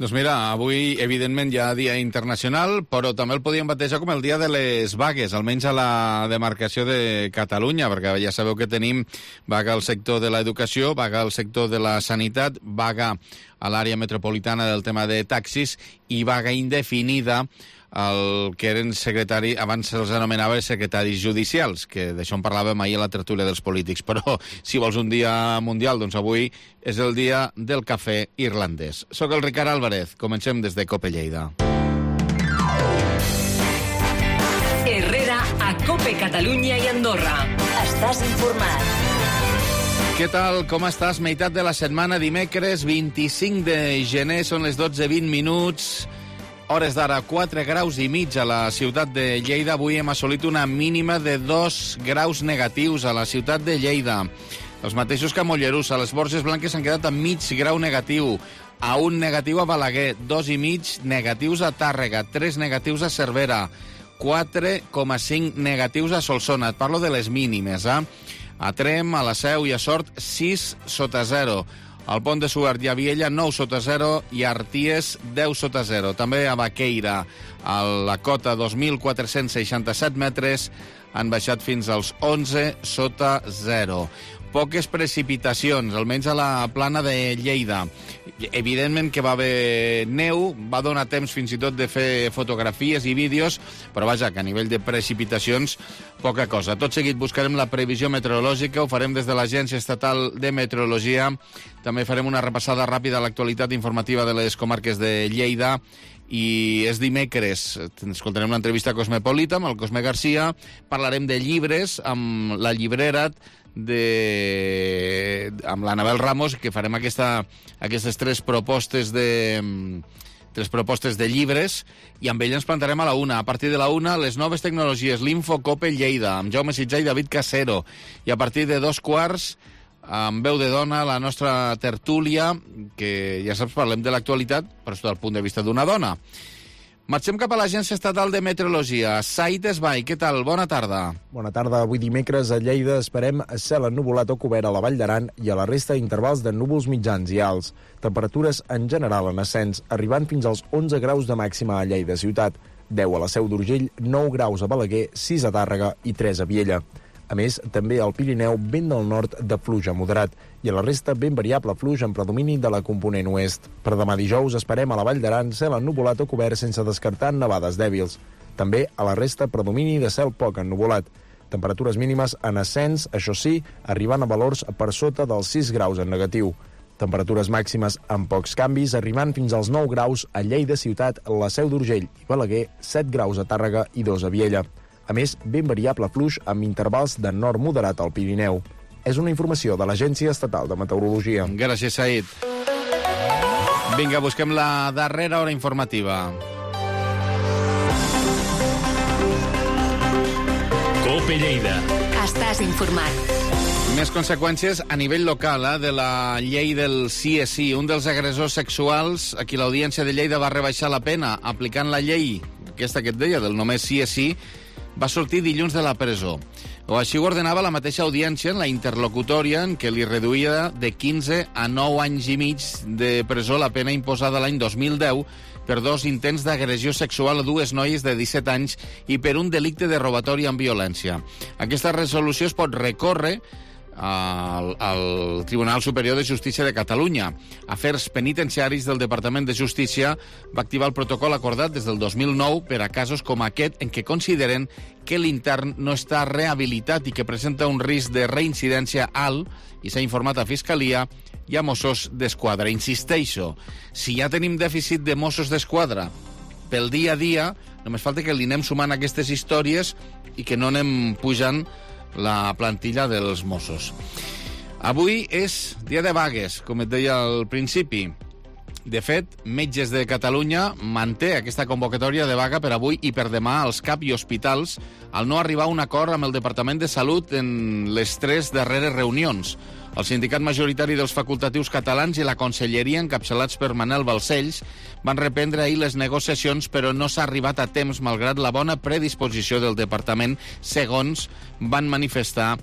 Doncs mira, avui, evidentment, hi ha Dia Internacional, però també el podíem batejar com el Dia de les Vagues, almenys a la demarcació de Catalunya, perquè ja sabeu que tenim vaga al sector de l'educació, vaga al sector de la sanitat, vaga a l'àrea metropolitana del tema de taxis i vaga indefinida el que eren secretari, abans se'ls anomenava secretaris judicials, que d'això en parlàvem ahir a la tertúlia dels polítics. Però si vols un dia mundial, doncs avui és el dia del cafè irlandès. Soc el Ricard Álvarez, comencem des de Cope Lleida. Herrera a Cope Catalunya i Andorra. Estàs informat. Què tal? Com estàs? Meitat de la setmana, dimecres 25 de gener, són les 12:20. Hores d'ara, 4 graus i mig a la ciutat de Lleida. Avui hem assolit una mínima de 2 graus negatius a la ciutat de Lleida. Els mateixos que a Mollerussa. Les Borges Blanques s'han quedat a mig grau negatiu. A 1 negatiu a Balaguer, 2,5 negatius a Tàrrega, 3 negatius a Cervera, 4,5 negatius a Solsona. Et parlo de les mínimes, eh? A Trem, a la Seu i a Sort, 6 sota 0. Al Pont de Suert i a Viella, 9 sota 0, i a Arties, 10 sota 0. També a Baqueira, a la cota 2.467 metres, han baixat fins als 11 sota 0. Poques precipitacions, almenys a la plana de Lleida. Evidentment que va haver neu, va donar temps fins i tot de fer fotografies i vídeos, però vaja, que a nivell de precipitacions, poca cosa. Tot seguit buscarem la previsió meteorològica, ho farem des de l'Agència Estatal de Meteorologia. També farem una repassada ràpida a l'actualitat informativa de les comarques de Lleida. I és dimecres, escoltarem l'entrevista a Cosmopolita amb el Cosme Garcia, parlarem de llibres amb la llibrera amb l'Anabel Ramos, que farem aquestes tres propostes de llibres, i amb ell ens plantarem a la 1. A partir de la 1, les noves tecnologies, l'Infocope Lleida, amb Jaume Sitjà i David Casero, i a partir de 2:15, amb veu de dona, la nostra tertúlia, que ja saps, parlem de l'actualitat, però és del punt de vista d'una dona. Marxem cap a l'Agència Estatal de Meteorologia. Said Esbai, què tal? Bona tarda. Bona tarda. Avui dimecres a Lleida esperem cel ennuvolat o cobert a la Vall d'Aran i a la resta d'intervals de núvols mitjans i alts. Temperatures en general en ascens, arribant fins als 11 graus de màxima a Lleida ciutat, 10 a la Seu d'Urgell, 9 graus a Balaguer, 6 a Tàrrega i 3 a Viella. A més, també al Pirineu, vent del nord de fluix a moderat, i a la resta ben variable fluix en predomini de la component oest. Per demà dijous esperem a la Vall d'Aran cel ennuvolat o cobert sense descartar nevades dèbils. També a la resta predomini de cel poc ennuvolat. Temperatures mínimes en ascens, això sí, arribant a valors per sota dels 6 graus en negatiu. Temperatures màximes amb pocs canvis, arribant fins als 9 graus a Lleida ciutat, la Seu d'Urgell i Balaguer, 7 graus a Tàrrega i 2 a Viella. A més, ben variable fluix amb intervals de nord moderat al Pirineu. És una informació de l'Agència Estatal de Meteorologia. Gràcies, Said. Vinga, busquem la darrera hora informativa. Cope Lleida. Estàs informat. Més conseqüències a nivell local de la llei del sí és sí. Un dels agressors sexuals, a qui l'Audiència de Lleida va rebaixar la pena aplicant la llei, aquesta que et deia, del només sí és sí, va sortir dilluns de la presó. O així ho ordenava la mateixa audiència en la interlocutòria, en què li reduïa de 15 a 9 anys i mig de presó la pena imposada l'any 2010 per 2 intents d'agressió sexual a 2 noies de 17 anys i per un delicte de robatori amb violència. Aquesta resolució es pot recórrer al Tribunal Superior de Justícia de Catalunya. Afers Penitenciaris del Departament de Justícia va activar el protocol acordat des del 2009 per a casos com aquest en què consideren que l'intern no està rehabilitat i que presenta un risc de reincidència alt, i s'ha informat a Fiscalia i a Mossos d'Esquadra. Insisteixo, si ja tenim dèficit de Mossos d'Esquadra pel dia a dia, només falta que li anem sumant aquestes històries i que no anem pujant la plantilla dels Mossos. Avui és dia de vagues, com et deia al principi. De fet, Metges de Catalunya manté aquesta convocatòria de vaga per avui i per demà als CAP i hospitals al no arribar a un acord amb el Departament de Salut en les 3 darreres reunions. El sindicat majoritari dels facultatius catalans i la conselleria, encapçalats per Manel Balcells, van reprendre ahir les negociacions, però no s'ha arribat a temps malgrat la bona predisposició del departament, segons van manifestar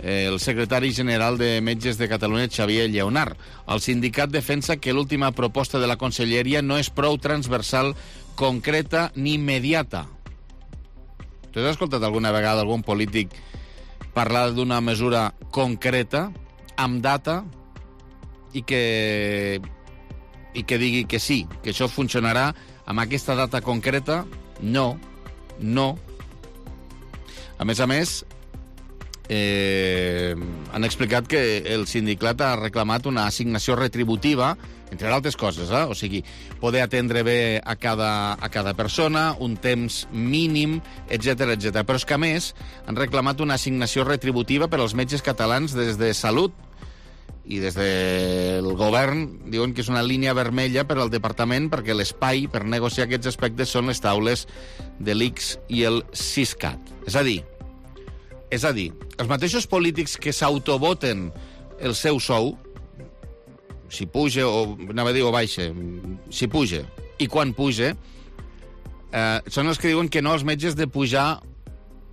el secretari general de Metges de Catalunya, Xavier Lleonart. El sindicat defensa que l'última proposta de la Conselleria no és prou transversal, concreta ni immediata. Tu has escoltat alguna vegada algun polític parlar d'una mesura concreta, amb data, i que digui que sí, que això funcionarà amb aquesta data concreta? No. A més, han explicat que el sindicat ha reclamat una assignació retributiva, entre altres coses, o sigui, poder atendre bé a cada persona, un temps mínim, etc. Però és que, a més, han reclamat una assignació retributiva per als metges catalans des de Salut, i des del govern diuen que és una línia vermella per al departament perquè l'espai per negociar aquests aspectes són les taules de l'ICS i el Siscat. És a dir, els mateixos polítics que s'autovoten el seu sou, si puja o baixa, si puja i quan puja, són els que diuen que no als metges de pujar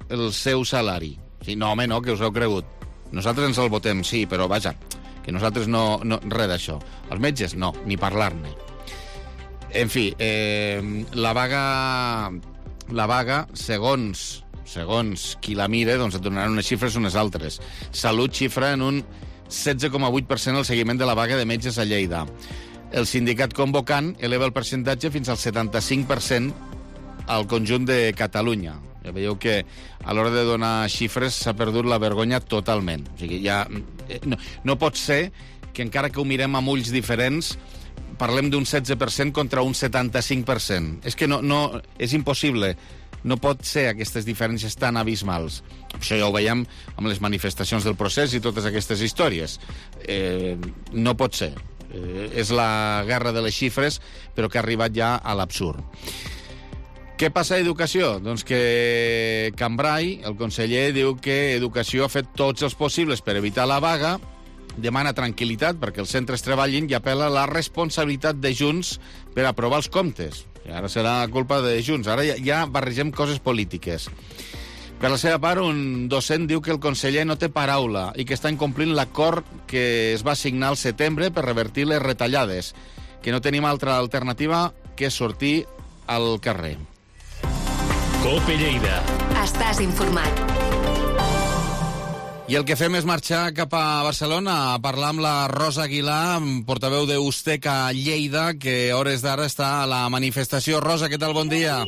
el seu salari. Sí, no, home, no, que us heu cregut. Nosaltres ens el votem, sí, però vaja, que nosaltres no res d'això. Els metges, no, ni parlar-ne. En fi, la vaga, segons qui la mire, doncs et donaran unes xifres unes altres. Salut xifra en un 16,8% el seguiment de la vaga de metges a Lleida. El sindicat convocant eleva el percentatge fins al 75% al conjunt de Catalunya. Ja veieu que a l'hora de donar xifres s'ha perdut la vergonya totalment. O sigui, ja no pot ser que encara que ho mirem amb ulls diferents parlem d'un 16% contra un 75%. És que no és impossible. No pot ser aquestes diferències tan abismals. Això ja ho veiem amb les manifestacions del procés i totes aquestes històries. No pot ser. És la guerra de les xifres, però que ha arribat ja a l'absurd. Què passa a Educació? Doncs que Cambrai, el conseller, diu que Educació ha fet tots els possibles per evitar la vaga, demana tranquil·litat perquè els centres treballin i apel·la a la responsabilitat de Junts per aprovar els comptes. I ara serà culpa de Junts. Ara ja barregem coses polítiques. Per la seva part, un docent diu que el conseller no té paraula i que està incomplint l'acord que es va signar al setembre per revertir les retallades, que no tenim altra alternativa que sortir al carrer. COPE Lleida. Estàs informat. I el que fem és marxar cap a Barcelona a parlar amb la Rosa Aguilar, portaveu d'Ustec a Lleida, que a hores d'ara està a la manifestació. Rosa, què tal? Bon dia.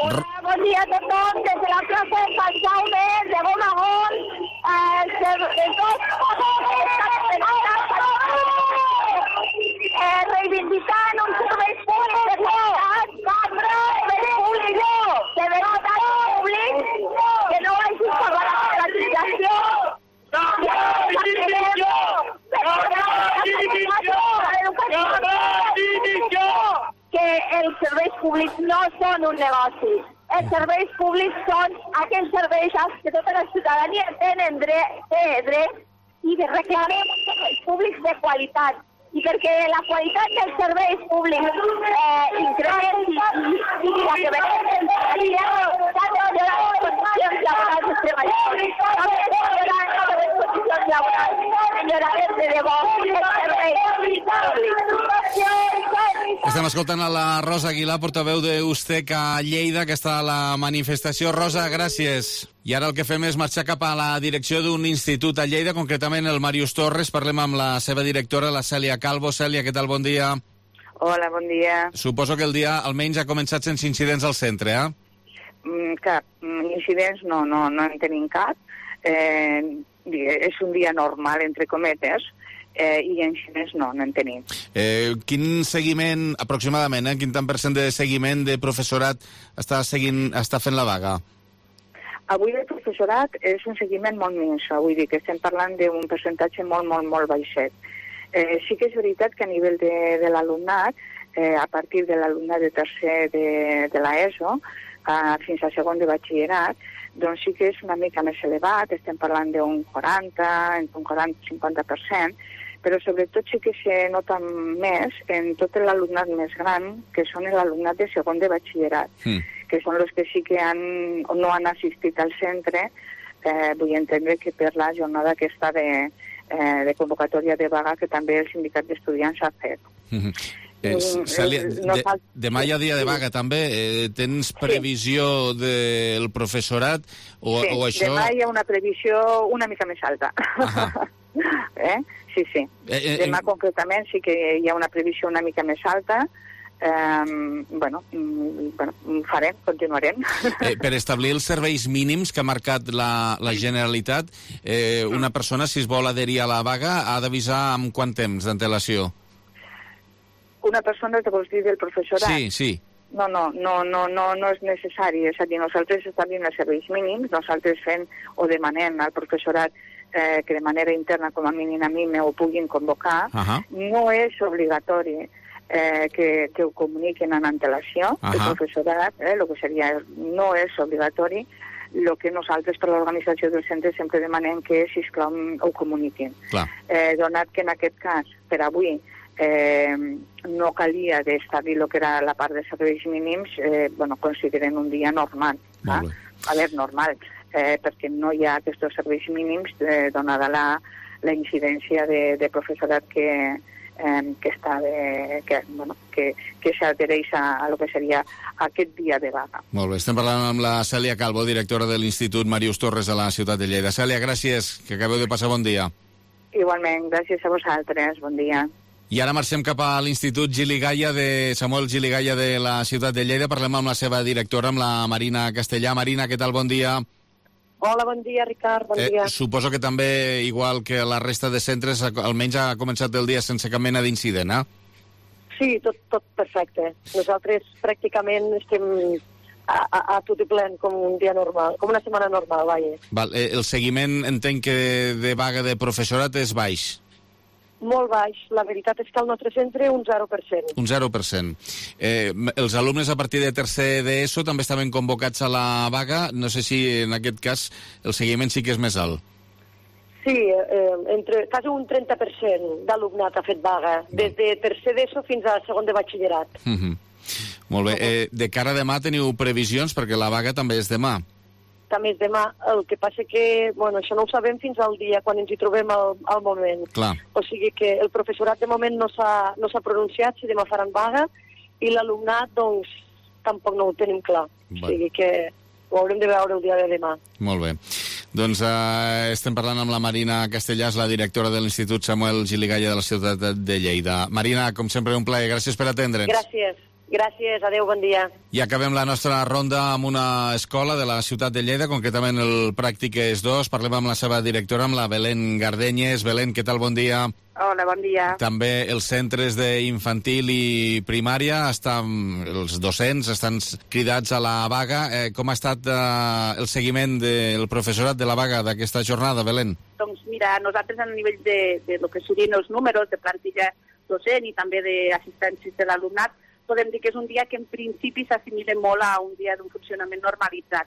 Hola, bon dia a tothom. Des de la plaça de Sant Jaume, de Bonagón, reivindicant un servei públic de qualitat, que no vagi per la privatització. Que els serveis públics no són un negoci. Els serveis públics són aquells serveis que tota la ciutadania tenen dret i reclamem serveis públics de qualitat. I perquè la qualitat dels serveis públics incrementi i la que veiem s'han de millorar les condicions laborals dels treballadors. Les condicions laborals millorarem de debò els serveis públics. Estem escoltant a la Rosa Aguilar, portaveu d'Ustec a Lleida, que està a la manifestació. Rosa, gràcies. I ara el que fem és marxar cap a la direcció d'un institut a Lleida, concretament el Màrius Torres. Parlem amb la seva directora, la Cèlia Calvo. Cèlia, què tal? Bon dia. Hola, bon dia. Suposo que el dia almenys ha començat sense incidents al centre, Cap. Incidents no en tenim cap. És un dia normal, entre cometes, i incidents no en tenim. Quin seguiment, aproximadament, quin tant % de seguiment de professorat està fent la vaga? Avui el professorat és un seguiment molt minso, vull dir que estem parlant d'un percentatge molt baixet. Sí que és veritat que a nivell de l'alumnat, a partir de l'alumnat de tercer de l'ESO fins a segon de batxillerat, doncs sí que és una mica més elevat, estem parlant d'un 40-50%, però sobretot sí que se nota més en tot l'alumnat més gran, que són l'alumnat de segon de batxillerat, que són els que sí que no han assistit al centre, vull entendre que per la jornada aquesta de convocatòria de vaga que també el sindicat d'estudiants ha fet. Cèlia, demà hi ha dia de vaga també. Tens previsió del professorat? Sí, això... demà hi ha una previsió una mica més alta. Sí. Demà concretament sí que hi ha una previsió una mica més alta. Farem, continuarem. Per establir els serveis mínims que ha marcat la Generalitat, una persona, si es vol adherir a la vaga, ha d'avisar amb quant temps d'antelació? Una persona, te vols dir del professorat? Sí. No és necessari. És a dir, nosaltres establim els serveis mínims, nosaltres fem o demanem al professorat que de manera interna, com a mínim a mi, me ho puguin convocar. No és obligatori que ho comuniquen en antelació. El professorat, el que seria, no és obligatori. El que nosaltres per l'organització del centre sempre demanem que, sisplau, ho comuniquin. Donat que en aquest cas, per avui, no calia d'establir el que era la part de serveis mínims, consideren un dia normal. A veure, normal, perquè no hi ha aquests serveis mínims donada la incidència de professorat que s'adhereix a lo que seria aquest dia de vaga. Molt bé, estem parlant amb la Cèlia Calvo, directora de l'Institut Màrius Torres de la ciutat de Lleida. Cèlia, gràcies, que acabeu de passar bon dia. Igualment, gràcies a vosaltres, bon dia. I ara marxem cap a l'Institut Samuel Gili Gaya de la ciutat de Lleida. Parlem amb la seva directora, amb la Marina Castellà. Marina, què tal? Bon dia. Hola, bon dia, Ricard, bon dia. Suposo que també, igual que la resta de centres, almenys ha començat el dia sense cap mena d'incident, eh? Sí, tot perfecte. Nosaltres pràcticament estem a tot i plen com un dia normal, com una setmana normal, vaja. El seguiment, entenc que de vaga de professorat és baix. Molt baix. La veritat és que al nostre centre un 0%. Un 0%. Els alumnes a partir de tercer d'ESO també estaven convocats a la vaga. No sé si en aquest cas el seguiment sí que és més alt. Sí, quasi un 30% d'alumnat ha fet vaga, des de tercer d'ESO fins a segon de batxillerat. Molt bé. De cara a demà teniu previsions, perquè la vaga també és demà. També és demà, el que passa que, això no ho sabem fins al dia, quan ens hi trobem al moment. Clar. O sigui que el professorat de moment no s'ha pronunciat si demà faran vaga, i l'alumnat, doncs, tampoc no ho tenim clar. O sigui que ho haurem de veure el dia de demà. Molt bé. Doncs estem parlant amb la Marina Castellà, la directora de l'Institut Samuel Gili Gaya de la ciutat de Lleida. Marina, com sempre, un plaer. Gràcies per atendre'ns. Gràcies, adeu, bon dia. I acabem la nostra ronda amb una escola de la ciutat de Lleida, concretament el Pràctiques 2. Parlem amb la seva directora, amb la Belén Gardenyes. Belén, què tal? Bon dia. Hola, bon dia. També els centres d'infantil i primària, els docents estan cridats a la vaga. Com ha estat el seguiment del professorat de la vaga d'aquesta jornada, Belén? Doncs mira, nosaltres a nivell de lo que serien els números de plantilla docent i també d'assistències de l'alumnat, podem dir que és un dia que en principi s'assimila molt a un dia d'un funcionament normalitzat.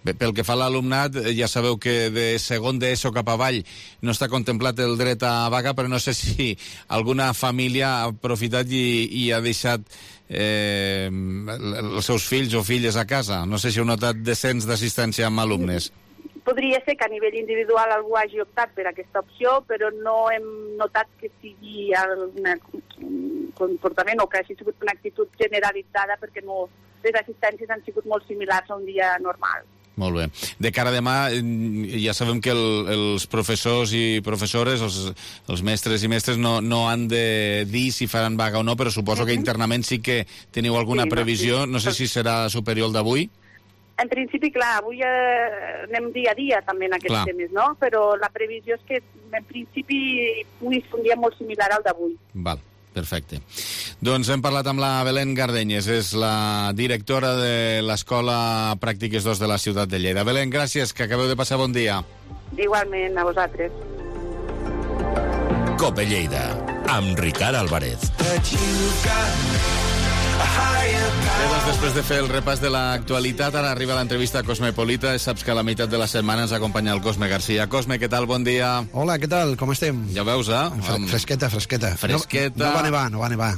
Bé, pel que fa a l'alumnat, ja sabeu que de segon d'ESO cap avall no està contemplat el dret a vaga, però no sé si alguna família ha aprofitat i ha deixat els seus fills o filles a casa. No sé si heu notat descens d'assistència amb alumnes. Podria ser que a nivell individual algú hagi optat per aquesta opció, però no hem notat que sigui un comportament o que hagi sigut una actitud generalitzada, perquè les assistències han sigut molt similars a un dia normal. Molt bé. De cara a demà, ja sabem que els professors i professores, els mestres i mestres, no han de dir si faran vaga o no, però suposo que internament sí que teniu alguna previsió. No sé si serà superior al d'avui. En principi, clar, avui anem dia a dia també en aquests temes, no? Però la previsió és que en principi pugui ser un dia molt similar al d'avui. Val, perfecte. Doncs hem parlat amb la Belén Gardenyes, és la directora de l'Escola Pràctiques 2 de la ciutat de Lleida. Belén, gràcies, que acabeu de passar bon dia. Igualment, a vosaltres. Cope Lleida, amb Ricard Álvarez. Bé, doncs després de fer el repàs de l'actualitat, ara arriba l'entrevista a Cosmopolita. Saps que a la meitat de la setmana ens acompanya el Cosme Garcia. Cosme, què tal? Bon dia. Hola, què tal? Com estem? Ja ho veus, Fresqueta. Fresqueta. No va nevar.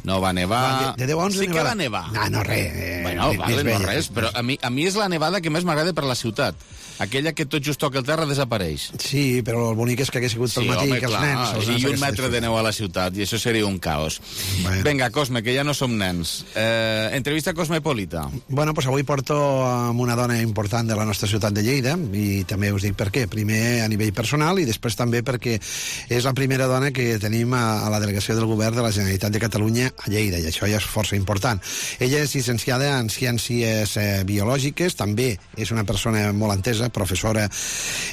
No va nevar. De 10 a 11 sí que va nevar. No res. Bueno, vale, no res, però a mi és la nevada que més m'agrada per la ciutat. Aquella que tot just toca el terra desapareix. Sí, però el bonic és que hagués sigut pel matí, home, que els nens... I un metre de neu a la ciutat, i això seria un caos. Bueno. Vinga, Cosme, que ja no som nens. Entrevista Cosmopolita. Bueno, pues avui porto amb una dona important de la nostra ciutat de Lleida, i també us dic per què. Primer a nivell personal i després també perquè és la primera dona que tenim a la delegació del govern de la Generalitat de Catalunya a Lleida, i això ja és força important. Ella és llicenciada en Ciències Biològiques, també és una persona molt entesa, professora,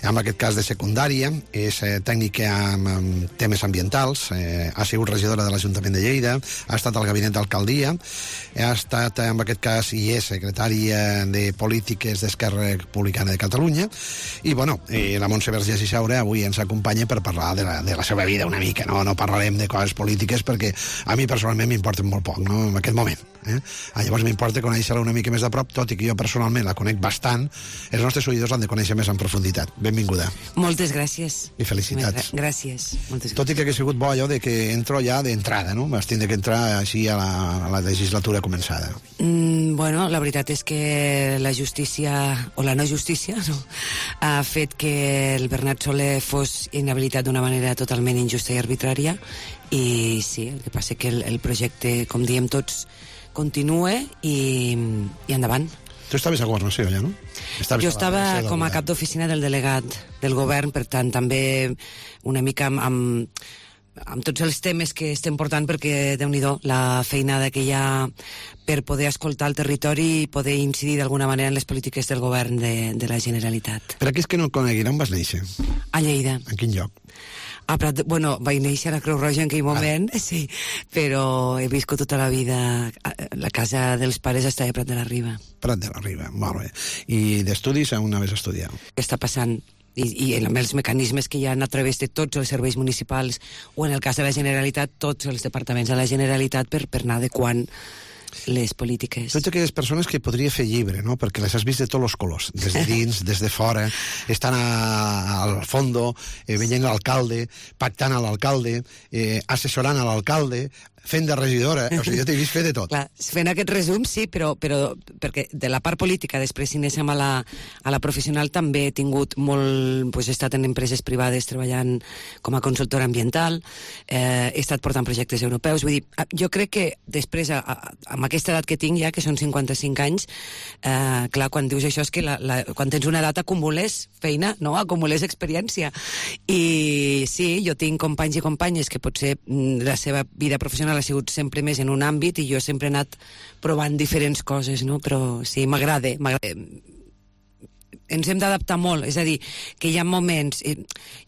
en aquest cas de secundària, és tècnica en temes ambientals, ha sigut regidora de l'Ajuntament de Lleida, ha estat al gabinet d'alcaldia, ha estat, en aquest cas, i és secretària de Polítiques d'Esquerra Republicana de Catalunya, i, bueno, la Montse Vergés i Saura avui ens acompanya per parlar de la seva vida una mica, no parlarem de coses polítiques perquè a mi personalment m'importen molt poc, no?, en aquest moment. Llavors m'importa conèixer-la una mica més de prop, tot i que jo personalment la conec bastant. Els nostres oïdors l'han de conèixer més en profunditat. Benvinguda. Moltes gràcies. I felicitats. Gràcies. Moltes gràcies. Tot i que hagués sigut bo allò de que entro ja d'entrada, no? Vas tindre que entrar així a la legislatura començada. Bueno, la veritat és que la justícia, o la no justícia, no, ha fet que el Bernat Soler fos inhabilitat d'una manera totalment injusta i arbitrària, i sí, el que passa que el projecte, com diem tots, continua i endavant. Tu estaves a Governació, ja, no? Jo estava com a cap d'oficina del delegat del govern, per tant, també una mica amb tots els temes que estem portant, perquè, Déu-n'hi-do, la feinada que hi ha per poder escoltar el territori i poder incidir d'alguna manera en les polítiques del govern de la Generalitat. Per aquells que no coneguin, on vas néixer? A Lleida. En quin lloc? A Prat, bueno, vaig néixer a la Creu Roja en aquell moment, sí, però he viscut tota la vida... La casa dels pares està a Prat de la Riba. Prat de la Riba, molt bé. I d'estudis on anaves a estudiar? Què està passant? I amb els mecanismes que hi ha a través de tots els serveis municipals, o en el cas de la Generalitat, tots els departaments de la Generalitat per anar adequant les polítiques. Tots aquelles persones que podria fer llibre, no?, perquè les has vist de tots els colors, des de dins, des de fora, estan al fondo, veient l'alcalde, pactant a l'alcalde, assessorant a l'alcalde, fent de regidora, o sigui, jo t'he vist fer de tot. Clar, fent aquest resum, sí, però perquè de la part política, després si anéssim a la professional, també he tingut molt... He estat en empreses privades treballant com a consultora ambiental, he estat portant projectes europeus, vull dir, jo crec que després, amb aquesta edat que tinc ja, que són 55 anys, clar, quan dius això és que quan tens una edat acumules feina, no? Acumules experiència. I sí, jo tinc companys i companyes que potser la seva vida professional ha sigut sempre més en un àmbit i jo sempre he anat provant diferents coses, no? Però sí, m'agrada. Ens hem d'adaptar molt, és a dir, que hi ha moments...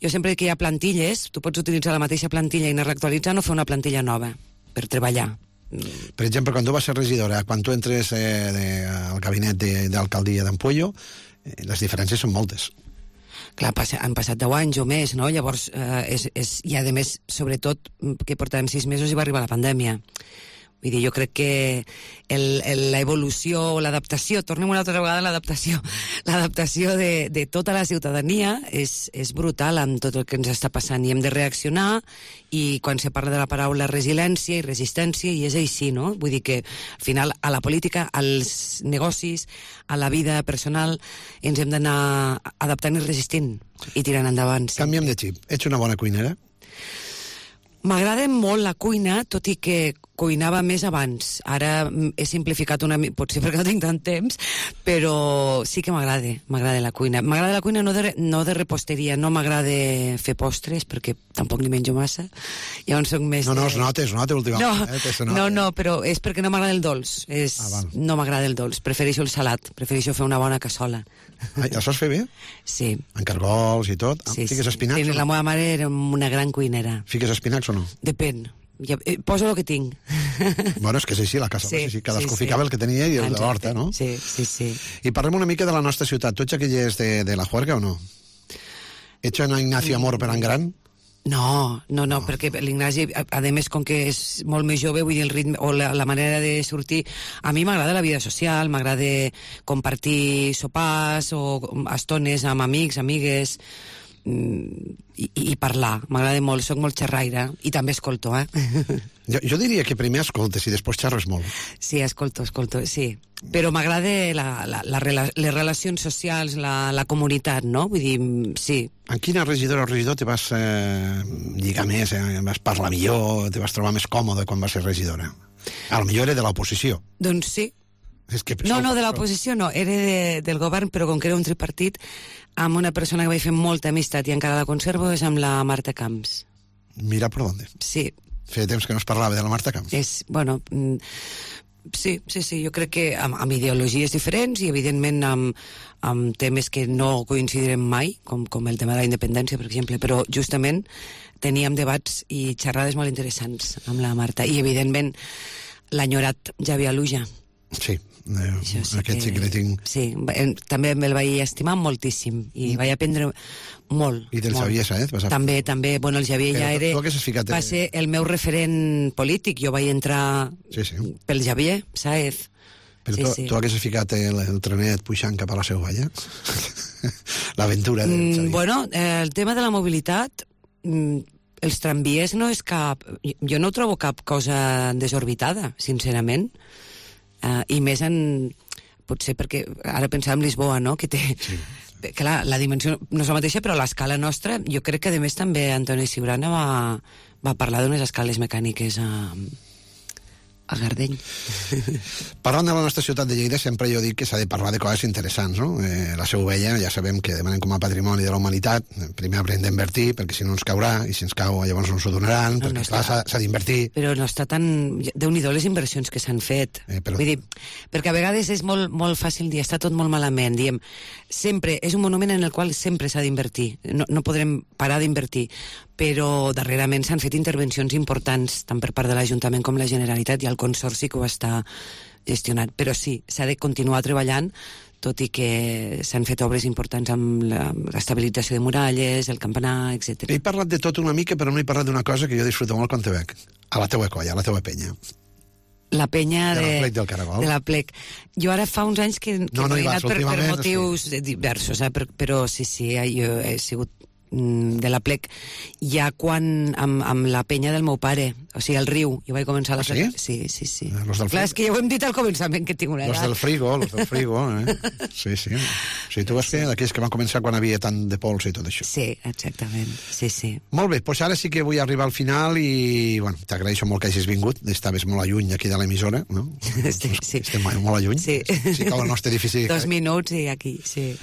Jo sempre que hi ha plantilles, tu pots utilitzar la mateixa plantilla i anar reactualitzant o fer una plantilla nova per treballar. Per exemple, quan tu vas ser regidora, quan tu entres al gabinet d'alcaldia d'Ampoyo, les diferències són moltes. Clar, han passat 10 anys o més, no? Llavors, i a més, sobretot, que portàvem 6 mesos i va arribar la pandèmia. Vull dir, jo crec que l'evolució o l'adaptació, tornem una altra vegada a l'adaptació de tota la ciutadania és brutal amb tot el que ens està passant i hem de reaccionar, i quan se parla de la paraula resiliència i resistència, i és així, no? Vull dir que al final a la política, als negocis, a la vida personal, ens hem d'anar adaptant i resistint i tirant endavant. Sí. Canviem de xip. Ets una bona cuinera? M'agrada molt la cuina, tot i que cuinava més abans. Ara he simplificat una mica, potser perquè no tinc tant temps, però sí que m'agrada la cuina. M'agrada la cuina no de reposteria, no m'agrada fer postres, perquè tampoc ni menjo massa. Llavors soc més... No, es nota últimament. No, però és perquè no m'agrada el dolç. No m'agrada el dolç, prefereixo el salat, prefereixo fer una bona cassola. Ja saps fer bé? Sí. En cargols i tot? Sí, Fiques espinacs? Sí, la meva mare era una gran cuinera. Fiques espinacs o no? Depèn. Poso el que tinc. Bueno, és que és així, la casa. Sí, cadascú ficava el que tenia i el de l'horta, no? Sí. I parlem una mica de la nostra ciutat. Tu ets aquell de la Juerga o no? Ets una Ignacio Amor per en gran? No, perquè l'Ignasi, a més, com que és molt més jove, vull dir, el ritme o la manera de sortir... A mi m'agrada la vida social, m'agrada compartir sopars o estones amb amics, amigues, i parlar. M'agrada molt, soc molt xerraire, i també escolto, Jo diria que primer escoltes i després xerres molt. Sí, escolto, sí. Però m'agrada les relacions socials, la comunitat, no? Vull dir, sí. En quina regidora o regidor te vas lligar més, vas parlar millor, te vas trobar més còmode quan vas ser regidora? A lo millor era de l'oposició. Doncs sí. No, de l'oposició no, era del govern, però com que era un tripartit, amb una persona que vaig fer molta amistat i encara la conservo, és amb la Marta Camps. Mira per on. Sí. Feia temps que no es parlava de la Marta Camps. Sí, jo crec que amb ideologies diferents i evidentment amb temes que no coincidirem mai, com el tema de la independència, per exemple, però justament teníem debats i xerrades molt interessants amb la Marta, i evidentment l'enyorat Javier Aluja. Sí, aquest sí que l'he tinc... Sí, també me'l vaig estimar moltíssim i vaig aprendre molt. I del Xavier Sáez? També, bueno, el Xavier ja va ser el meu referent polític. Jo vaig entrar pel Xavier Sáez. Però tu haguessis ficat el trenet pujant cap a la Seu Valla? L'aventura del Xavier. Bueno, el tema de la mobilitat, els tramvies no és cap... Jo no trobo cap cosa desorbitada, sincerament. I més potser perquè ara pensàvem en Lisboa, no? Que té... Sí. Clar, la dimensió no és la mateixa, però l'escala nostra, jo crec que a més també Antoni Ciurana va parlar d'unes escales mecàniques a Gardeny. Parlant de la nostra ciutat de Lleida, sempre jo dic que s'ha de parlar de coses interessants, no? La Seu Vella, ja sabem que demanem com a patrimoni de la humanitat, primer haurem d'invertir, perquè si no ens caurà, i si ens cau llavors no ens ho donaran, perquè clar, s'ha d'invertir. Però no està tan... Déu-n'hi-do les inversions que s'han fet. Vull dir, perquè a vegades és molt fàcil dir, està tot molt malament, diem, sempre, és un monument en el qual sempre s'ha d'invertir, no podrem parar d'invertir, però darrerament s'han fet intervencions importants, tant per part de l'Ajuntament com la Generalitat, i el Consorci que ho està gestionant. Però sí, s'ha de continuar treballant, tot i que s'han fet obres importants amb l'estabilització de muralles, el campanar, etc. He parlat de tot una mica, però no he parlat d'una cosa que jo disfruto molt quan te veig. A la teua colla, a la teua penya. La penya de la Plec del Caragol. De la Plec. Jo ara fa uns anys que no he anat per motius diversos, però sí, jo he sigut de la Plec ja quan amb la penya del meu pare, o sigui, al riu, jo vaig començar a la Plec. Sí? Sí. Clar, és que ja ho hem dit al començament, que tinc una edat. Los del frigo, Sí. Sí, tu vas fer d'aquells que van començar quan havia tant de pols i tot això. Sí, exactament, sí. Molt bé, doncs ara sí que vull arribar al final i, bueno, t'agraeixo molt que hagis vingut, estaves molt a lluny aquí de l'emissora, no? Sí. Estem molt a lluny. Sí. Sí que el nostre edifici... 2 minuts i aquí, sí.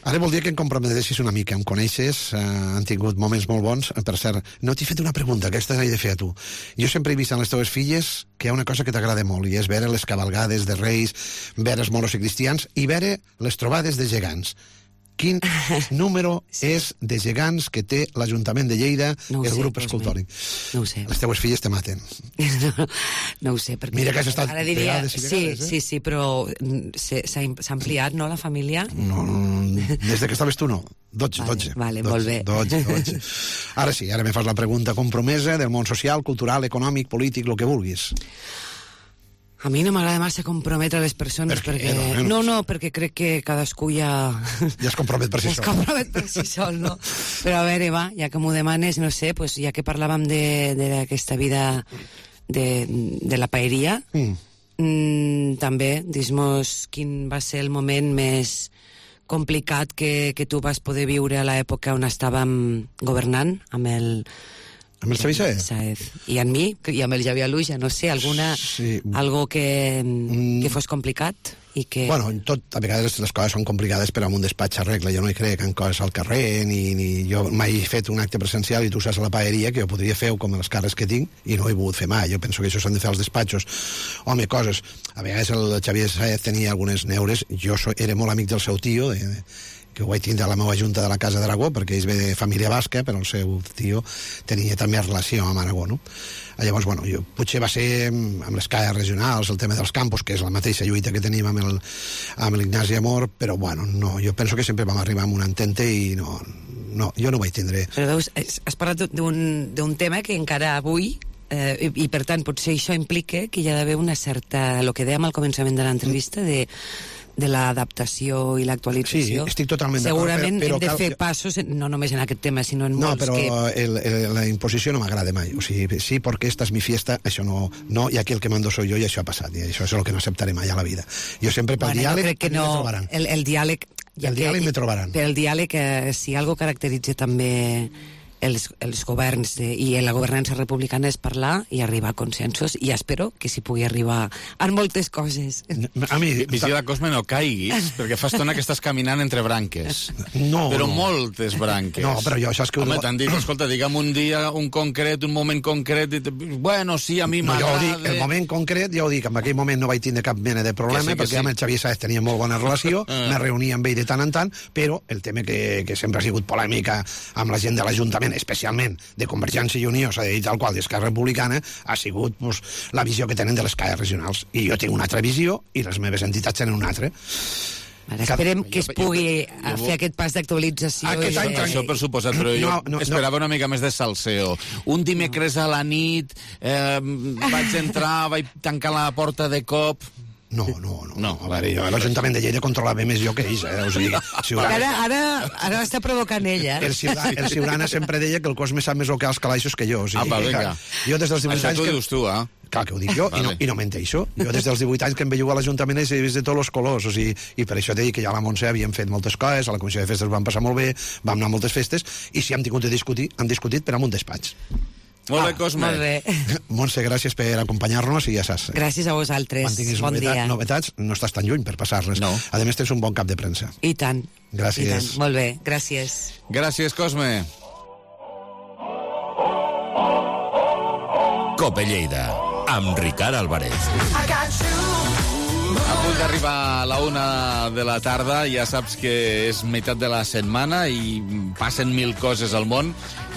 Ara voldria que em comprometessis una mica. Em coneixes, han tingut moments molt bons. Per cert, no t'he fet una pregunta, aquesta l'he de fer a tu. Jo sempre he vist en les teves filles que hi ha una cosa que t'agrada molt, i és veure les cavalgades de Reis, veure els moros i cristians, i veure les trobades de gegants. Quin número és de gegants que té l'Ajuntament de Lleida, el grup escultòric? No ho sé. Les teues filles te maten. No ho sé, perquè... Mira que has estat vegades i vegades, Sí, però s'ha ampliat, no, la família? No, des de que estaves tu no. 12. Vale, molt bé. 12. Ara sí, ara me fas la pregunta compromesa del món social, cultural, econòmic, polític, el que vulguis. A mi no m'agrada massa comprometre les persones perquè... No, perquè crec que cadascú ja es compromet per si sol. Es compromet per si sol, no? Però a veure, va, ja que m'ho demanes, no sé, pues, ja que parlàvem d'aquesta vida de la paeria, també, dis-nos quin va ser el moment més complicat que tu vas poder viure a l'època on estàvem governant amb el Xavier Sáez? I amb mi, i amb el Javier Aluja, no sé, algo que fos complicat i que... Bueno, a vegades les coses són complicades però amb un despatx arregla. Jo no hi crec en coses al carrer, ni jo mai he fet un acte presencial i tu saps a la paeria que jo podria fer com els càrrecs que tinc i no he volgut fer mai. Jo penso que això s'han de fer als despatxos. Home, coses... A vegades el Xavier Sáez tenia algunes neures. Jo era molt amic del seu tio, que ho vaig tindre a la meva junta de la Casa d'Aragó, perquè ell ve de família basca, però el seu tio tenia també relació amb Aragó, no? Llavors, bueno, potser va ser amb les caes regionals, el tema dels campus, que és la mateixa lluita que tenim amb l'Ignasi Amor, però, bueno, no, jo penso que sempre vam arribar amb un entente i no no, jo no ho vaig tindre. Però veus, has parlat d'un tema que encara avui, i per tant potser això implica que hi ha d'haver una certa, el que dèiem al començament de l'entrevista, de l'adaptació i l'actualització. Sí, estic totalment d'acord. Segurament hem de fer passos, no només en aquest tema, sinó en molts que... No, però la imposició no m'agrada mai. O sigui, sí, perquè esta és mi fiesta, això no, i aquí el que mando soy yo, i això ha passat, i això és el que no acceptaré mai a la vida. Jo sempre pel diàleg me trobaran. El diàleg... El diàleg me trobaran. Per el diàleg, si algo caracteritza també els governs i la governança republicana és parlar i arribar a consensos, i espero que s'hi pugui arribar en moltes coses. A mi, Vigila, Cosme, no caiguis, perquè fa estona que estàs caminant entre branques. No. Però moltes branques. No, però jo això és que... Home, t'han dit, escolta, digue'm un dia, un concret, un moment concret, bueno, sí, a mi m'agrada... Jo ho dic, el moment concret, ja ho dic, en aquell moment no vaig tindre cap mena de problema, perquè amb el Xavier Sáez tenia molt bona relació, me reunia amb ell de tant en tant, però el tema que sempre ha sigut polèmica amb la gent de l'Ajuntament, especialment de Convergència i Unió, s'ha dit tal qual, d'Esquerra Republicana, ha sigut la visió que tenen de les CAE regionals. I jo tinc una altra visió i les meves entitats tenen una altra. Ara esperem que es pugui fer aquest pas d'actualització. Això per suposat, però jo esperava una mica més de salseo. Un dimecres a la nit vaig entrar, vaig tancar la porta de cop... No. A veure, l'Ajuntament de Lleida controlava més jo que ells, O sigui, ara està provocant ella. El Ciurana sempre deia que el Cosme sap més el que els calaixos que jo. O sigui, vinga. Jo des dels 18 anys... Això t'ho dius tu, Clar que ho dic jo, i no menteixo. Jo des dels 18 anys que em veio a l'Ajuntament he vist de tots els colors, o sigui, i per això t'he dit que ja a la Montse havíem fet moltes coses, a la Comissió de Festes vam passar molt bé, vam anar a moltes festes, i si hem tingut de discutir, hem discutit per amb un despatx. Molt bé, Cosme. Molt bé. Montse, gràcies per acompanyar-nos i ja saps. Gràcies a vosaltres. Quan tinguis novetats, no estàs tan lluny per passar-les. No. A més, tens un bon cap de premsa. I tant. Gràcies. I tant. Molt bé, gràcies. Gràcies, Cosme. Cope Lleida, amb Ricard Álvarez. A punt d'arribar a la 1 de la tarda, ja saps que és meitat de la setmana i passen 1000 coses al món,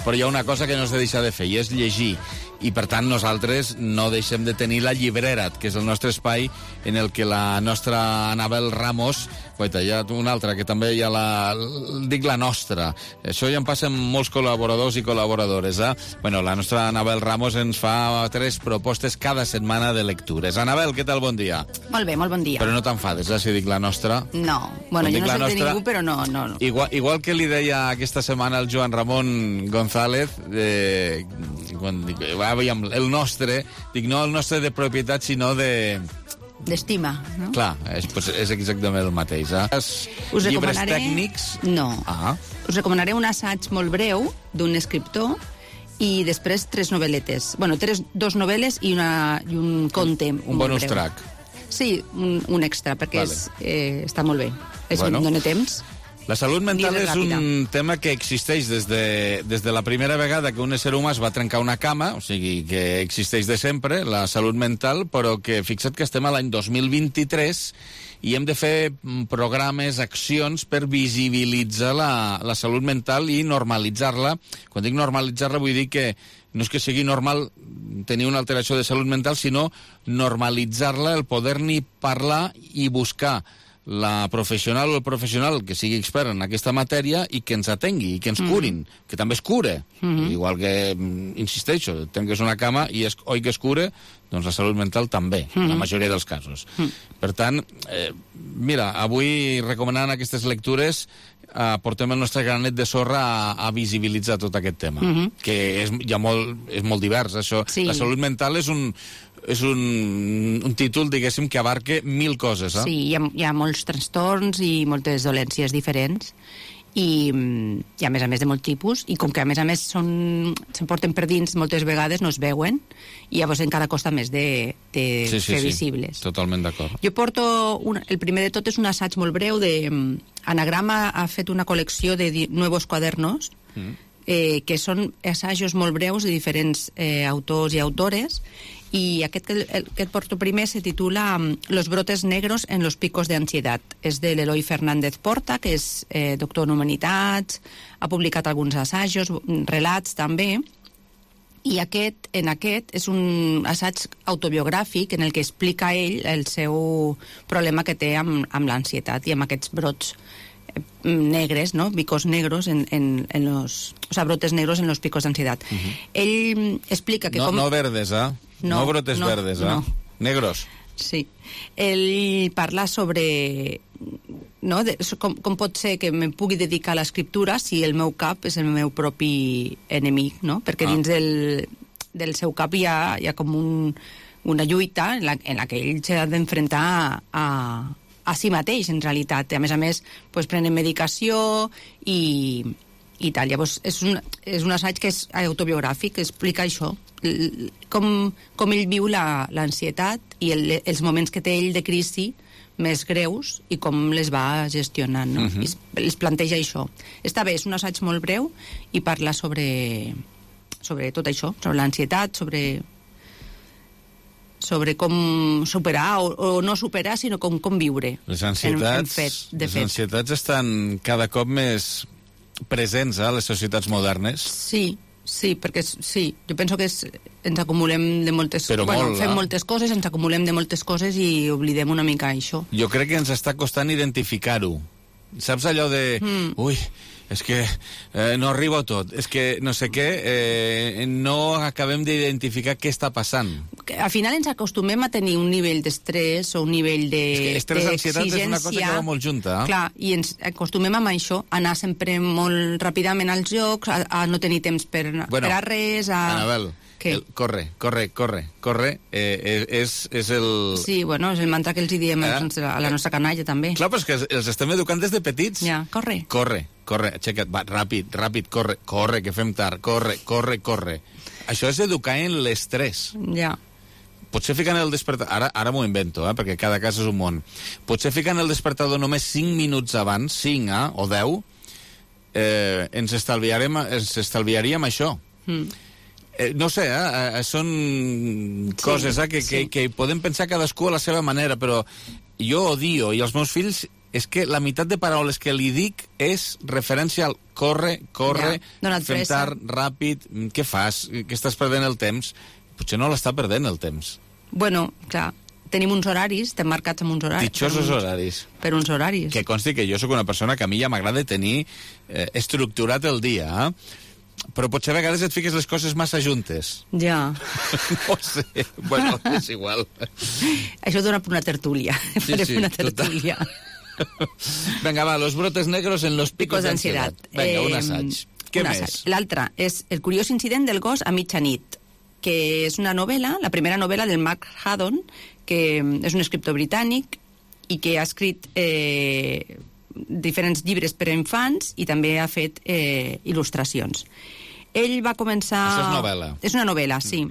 però hi ha una cosa que no s'ha de deixar de fer, i és llegir. I, per tant, nosaltres no deixem de tenir la llibrera, que és el nostre espai en el que la nostra Anabel Ramos... Guaita, hi ha una altra, que també hi ha dic la nostra. Això ja en passen molts col·laboradors i col·laboradores, Bueno, la nostra Anabel Ramos ens fa 3 propostes cada setmana de lectures. Anabel, què tal? Bon dia. Molt bé, molt bon dia. Però no t'enfades, si dic la nostra? No. Bueno, jo no soy de ningú, però no. Igual que li deia aquesta setmana al Joan Ramon González, quan dic, el nostre, dic no el nostre de propietat, sinó de... d'estima, no? Clar, és exactament el mateix. Us Llibres tècnics? No. Us recomanaré un assaig molt breu d'un escriptor i després 3 novel·letes. Bueno, 2 novel·les i un conte. Un bonus track. Sí, un extra, perquè està molt bé. Em dóna temps. La salut mental és un tema que existeix des de la primera vegada que un ésser humà es va trencar una cama, o sigui, que existeix de sempre, la salut mental, però que fixa't que estem a l'any 2023 i hem de fer programes, accions per visibilitzar la salut mental i normalitzar-la. Quan dic normalitzar-la vull dir que no és que sigui normal tenir una alteració de salut mental, sinó normalitzar-la, el poder-n'hi parlar i buscar la professional o el professional que sigui expert en aquesta matèria i que ens atengui i que ens curin, que també es cura. Igual que, insisteixo, trenques una cama i oi que es cura, doncs la salut mental també, en la majoria dels casos. Per tant, mira, avui recomanant aquestes lectures portem el nostre granet de sorra a visibilitzar tot aquest tema, que és molt divers, això. La salut mental és un títol, diguéssim, que abarca 1000 coses. Sí, hi ha molts trastorns i moltes dolències diferents i a més de molt tipus, i com que a més se'n porten per dins moltes vegades, no es veuen i llavors encara costa més de fer visibles. Totalment d'acord. Jo porto, el primer de tot és un assaig molt breu Anagrama ha fet una col·lecció de nuevos cuadernos que són assajos molt breus de diferents autors i autores, i aquest que porto primer se titula Los brotes negros en los picos de ansiedad. És de l'Eloi Fernández Porta, que és doctor en humanitats, ha publicat alguns assajos, relats també, i aquest és un assaig autobiogràfic en el que explica ell el seu problema que té amb l'ansietat i amb aquests brots negres, ¿no? Picos negros en los... O sea, brotes negros en los picos de ansiedad. Él explica que... No verdes, No brotes verdes, no. Negros. Sí. Ell parla sobre... No? Com pot ser que me pugui dedicar a l'escriptura si el meu cap és el meu propi enemic, no? Perquè dins del seu cap hi ha com una lluita en la que ell s'ha d'enfrontar a si mateix, en realitat. A més, pues, prenen medicació i tal. Llavors, és un assaig que és autobiogràfic, que explica això, com ell viu l'ansietat i els moments que té ell de crisi més greus i com les va gestionant, no? I es planteja això. Està bé, és un assaig molt breu i parla sobre tot això, sobre l'ansietat, sobre com superar o no superar, sinó com viure. Les ansietats estan cada cop més presents a les societats modernes. Sí, perquè jo penso que ens acumulem de moltes coses. Fem moltes coses, ens acumulem de moltes coses i oblidem una mica això. Jo crec que ens està costant identificar-ho. Saps allò de... Ui, és que no arribo a tot, és que no sé què, no acabem d'identificar què està passant. Al final ens acostumem a tenir un nivell d'estrès o un nivell d'exigència. Estrès, ansietat és una cosa que va molt junta. Clar, i ens acostumem amb això, a anar sempre molt ràpidament als jocs, a no tenir temps per a res, Anabel, corre, és el... Sí, bueno, és el mantra que els diem a la nostra canalla, també. Clar, però és que els estem educant des de petits. Ja, corre, aixeca't, va, ràpid, corre, que fem tard, corre. Això és educar en l'estrès. Ja. Potser ficant el despertador... Ara m'ho invento, perquè cada cas és un món. Potser ficant el despertador només 5 minuts abans, 5 o 10, ens estalviaríem això. No sé, són coses que podem pensar cadascú a la seva manera, però jo odio, i els meus fills, és que la meitat de paraules que li dic és referència al corre, fem tard, ràpid, què fas? Que estàs perdent el temps? Potser no l'està perdent el temps. Bueno, clar, tenim uns horaris, estem marcats amb uns horaris. Ditxosos horaris. Per uns horaris. Que consti que jo sóc una persona que a mi ja m'agrada tenir estructurat el dia, però potser a vegades et fiques les coses massa juntes. Ja. No sé, bueno, és igual. Això dona per una tertúlia. Sí, una tertúlia. Vinga, va, los brotes negros en los picos d'ansiedad. Vinga, un assaig. Què més? L'altre és El curiós incident del gos a mitjanit, que és una novel·la, la primera novel·la del Mark Haddon, que és un escriptor britànic i que ha escrit diferents llibres per a infants i també ha fet il·lustracions. Ell va començar... Això és novel·la. És una novel·la, sí.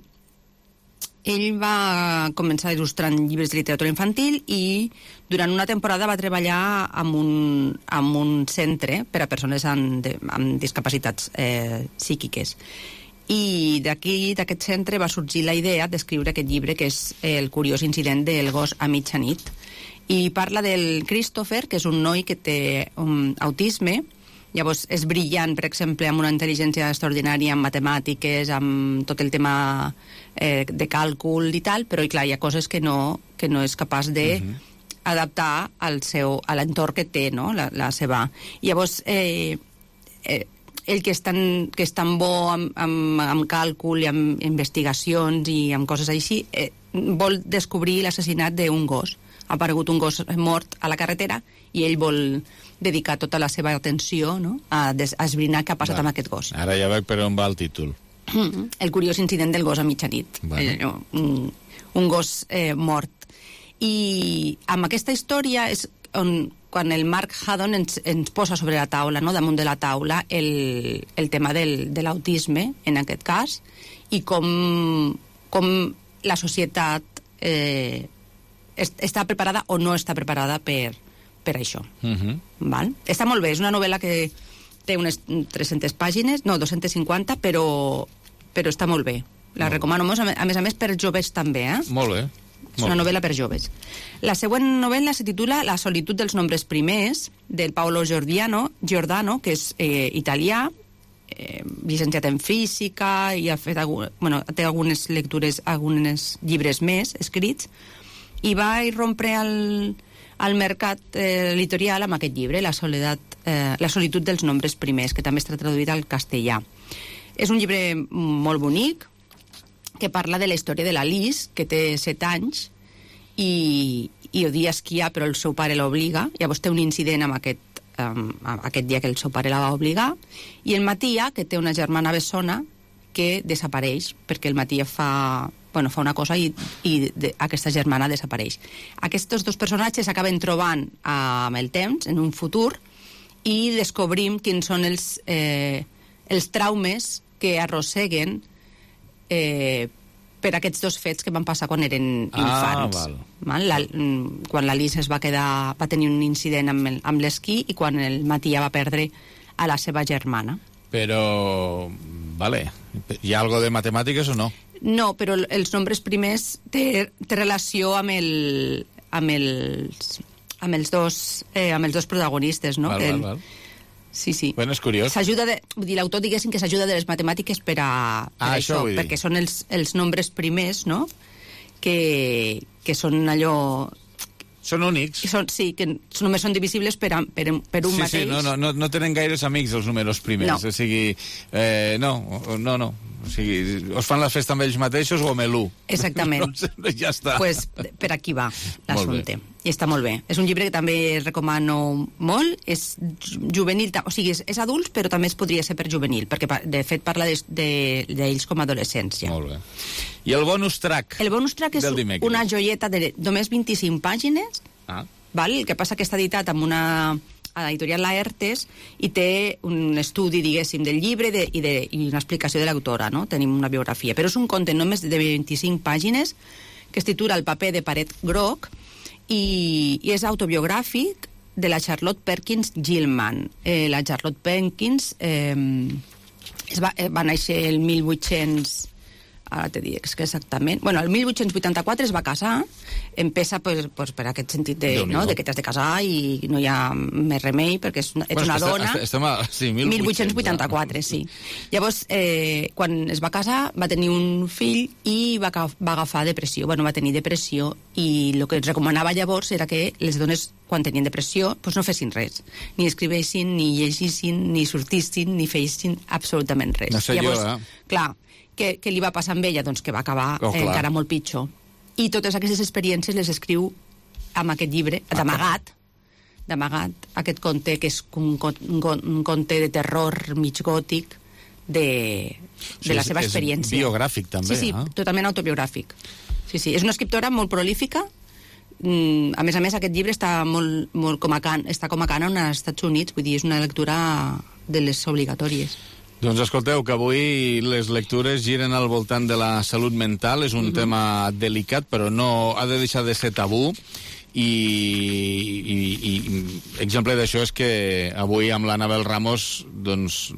Ell va començar il·lustrant llibres de literatura infantil i durant una temporada va treballar amb un centre per a persones amb discapacitats psíquiques. I d'aquest centre va sorgir la idea d'escriure aquest llibre, que és El curiós incident del gos a mitjanit. I parla del Christopher, que és un noi que té autisme. Llavors és brillant, per exemple, amb una intel·ligència extraordinària en matemàtiques, amb tot el tema de càlcul i tal, però clar, hi ha coses que no és capaç de adaptar a l'entorn que té, no? la seva. Llavors, ell que és tan bo amb càlcul i amb investigacions i amb coses així, vol descobrir l'assassinat d'un gos. Ha aparegut un gos mort a la carretera i ell vol dedicar tota la seva atenció, no?, a esbrinar què ha passat amb aquest gos. Ara ja veig per on va el títol. El curiós incident del gos a mitjanit. Un gos mort. I amb aquesta història és quan el Mark Haddon ens posa sobre la taula, no?, damunt de la taula, el tema de l'autisme, en aquest cas, i com la societat està preparada o no està preparada per això. Val? Està molt bé, és una novel·la que té unes 300 pàgines, no, 250, però està molt bé. La recomano molt, a més per joves també, Molt bé. És una novel·la per joves. La següent novel·la se titula La solitud dels nombres primers, del Paolo Giordano, que és italià, llicenciat en física, i ha fet té algunes lectures, alguns llibres més escrits, i va irrompre al mercat editorial amb aquest llibre, La soledat La solitud dels nombres primers, que també està traduït al castellà. És un llibre molt bonic, que parla de la història de la Liz, que té 7 anys, i odia esquiar, però el seu pare l'obliga. Llavors té un incident amb aquest dia que el seu pare la va obligar, i el Matia, que té una germana bessona, que desapareix, perquè el Matia fa una cosa i aquesta germana desapareix. Aquests dos personatges s'acaben trobant amb el temps, en un futur, i descobrim quins són els traumes que arrosseguen per aquests dos fets que van passar quan eren infants. Quan la Liz va tenir un incident amb l'esquí i quan el Matia va perdre a la seva germana. Però, hi ha algo de matemàtiques o no? No, però els nombres primers té relació amb els dos protagonistes, no? Val. Sí. Bueno, és curiós. L'autor diguéssim que s'ajuda de les matemàtiques per això, perquè són els nombres primers, no? Que són allò... Són únics. Que només són divisibles per un mateix. Sí, no tenen gaires amics els números primers. No. O sigui, no. O sigui, us fan la festa amb ells mateixos o amb l'1? Exactament. Ja està. Pues per aquí va l'assumpte. I està molt bé. És un llibre que també recomano molt. És juvenil, o sigui, és adults, però també es podria ser per juvenil, perquè de fet parla d'ells com a adolescència. Molt bé. I el bonus track? El bonus track és una joieta de només 25 pàgines, el que passa que està editat amb una editorial Laertes i té un estudi, diguéssim, del llibre i una explicació de l'autora, no? Tenim una biografia. Però és un conte només de 25 pàgines que es titula El paper de paret groc i és autobiogràfic de la Charlotte Perkins Gilman. La Charlotte Perkins va néixer el 1800... Ara te dic que exactament... el 1884 es va casar, empesa per aquest sentit de que t'has de casar i no hi ha més remei perquè ets una dona... Sí, 1884, sí. Llavors, quan es va casar, va tenir un fill i va agafar depressió. Va tenir depressió i el que es recomanava llavors era que les dones, quan tenien depressió, no fessin res. Ni escrivessin, ni llegissin, ni sortissin, ni feissin absolutament res. No sé llavors, jo, clar, què li va passar amb ella? Doncs que va acabar encara molt pitjor. I totes aquestes experiències les escriu amb aquest llibre, d'amagat, aquest conte, que és un conte de terror mig gòtic de la seva experiència. És biogràfic, també. Sí, totalment autobiogràfic. Sí, és una escriptora molt prolífica. A més, aquest llibre està molt com a cànon als Estats Units, vull dir, és una lectura de les obligatòries. Doncs escolteu, que avui les lectures giren al voltant de la salut mental. És un tema delicat, però no ha de deixar de ser tabú. I exemple d'això és que avui amb l'Anabel Ramos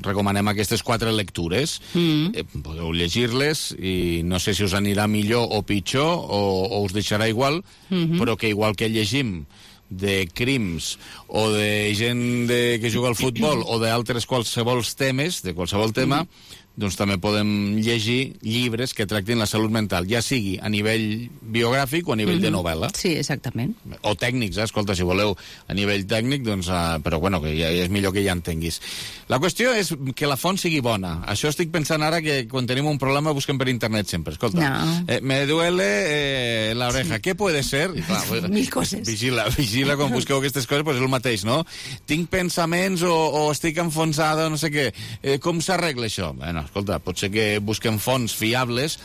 recomanem aquestes 4 lectures. Podeu llegir-les i no sé si us anirà millor o pitjor o us deixarà igual, però que igual que llegim de crims o de gent que juga al futbol o d'altres qualsevol temes, de qualsevol tema, doncs també podem llegir llibres que tractin la salut mental, ja sigui a nivell biogràfic o a nivell de novel·la. Sí, exactament. O tècnics, escolta, si voleu a nivell tècnic, doncs, però bueno, que ja és millor que ja entenguis. La qüestió és que la font sigui bona. Això estic pensant ara que quan tenim un problema busquem per internet sempre. Escolta, me duele la oreja. Què puede ser? I, clar, mil coses. Vigila quan busqueu aquestes coses, doncs és el mateix, no? Tinc pensaments o estic enfonsada o no sé què. Com s'arregla això? Bueno, escolta, pot ser que busquem fonts fiables.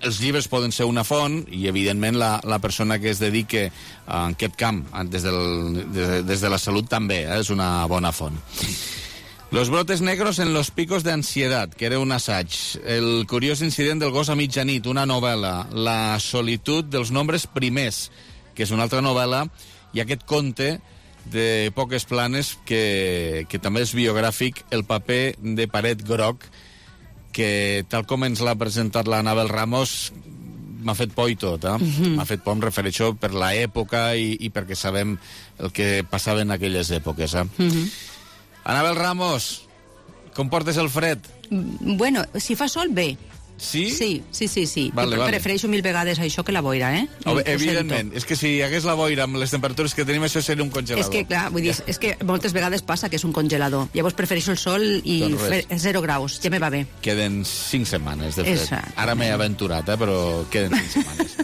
Els llibres poden ser una font i, evidentment, la persona que es dedique a aquest camp des de la salut també és una bona font. Los brotes negros en los picos de ansiedad, que era un assaig. El curiós incident del gos a mitjanit, una novel·la. La solitud dels nombres primers, que és una altra novel·la, i aquest conte de poques planes que també és biogràfic, El paper de paret groc, que tal com ens l'ha presentat l'Anabel Ramos m'ha fet por i tot, M'ha fet por, em refereixo per l'època i perquè sabem el que passava en aquelles èpoques, Anabel Ramos, com portes el fred? Bueno, si fa sol, bé. Sí? Sí. Vale. Prefereixo 1000 vegades això que la boira, eh? Evidentment. És que si hi hagués la boira amb les temperatures que tenim, això seria un congelador. És que, clar, vull dir, és que moltes vegades passa que és un congelador. Llavors prefereixo el sol i fer 0 graus. Ja me va bé. Queden 5 setmanes, de fet. Exacte. Ara m'he aventurat, però queden 5 setmanes.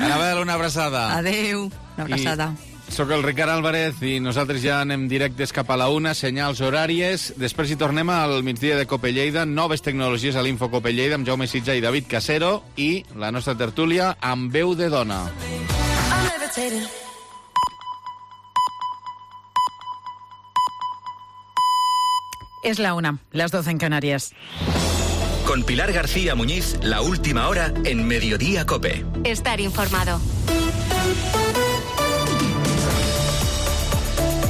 Anabel, una abraçada. Adeu, una abraçada. Soc el Ricard Álvarez i nosaltres ja anem directes cap a la 1, senyals horàries. Després hi tornem al migdia de Cope Lleida, noves tecnologies a l'Info Cope Lleida amb Jaume Sitja i David Casero i la nostra tertúlia amb veu de dona. Es la 1, las 12 en Canarias. Con Pilar García Muñiz, la última hora en Mediodía Cope. Estar informado.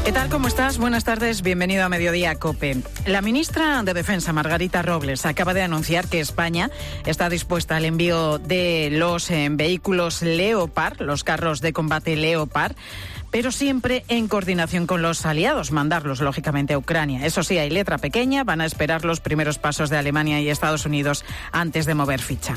¿Qué tal? ¿Cómo estás? Buenas tardes, bienvenido a Mediodía Cope. La ministra de Defensa, Margarita Robles, acaba de anunciar que España está dispuesta al envío de los vehículos Leopard, los carros de combate Leopard, pero siempre en coordinación con los aliados, mandarlos, lógicamente, a Ucrania. Eso sí, hay letra pequeña, van a esperar los primeros pasos de Alemania y Estados Unidos antes de mover ficha.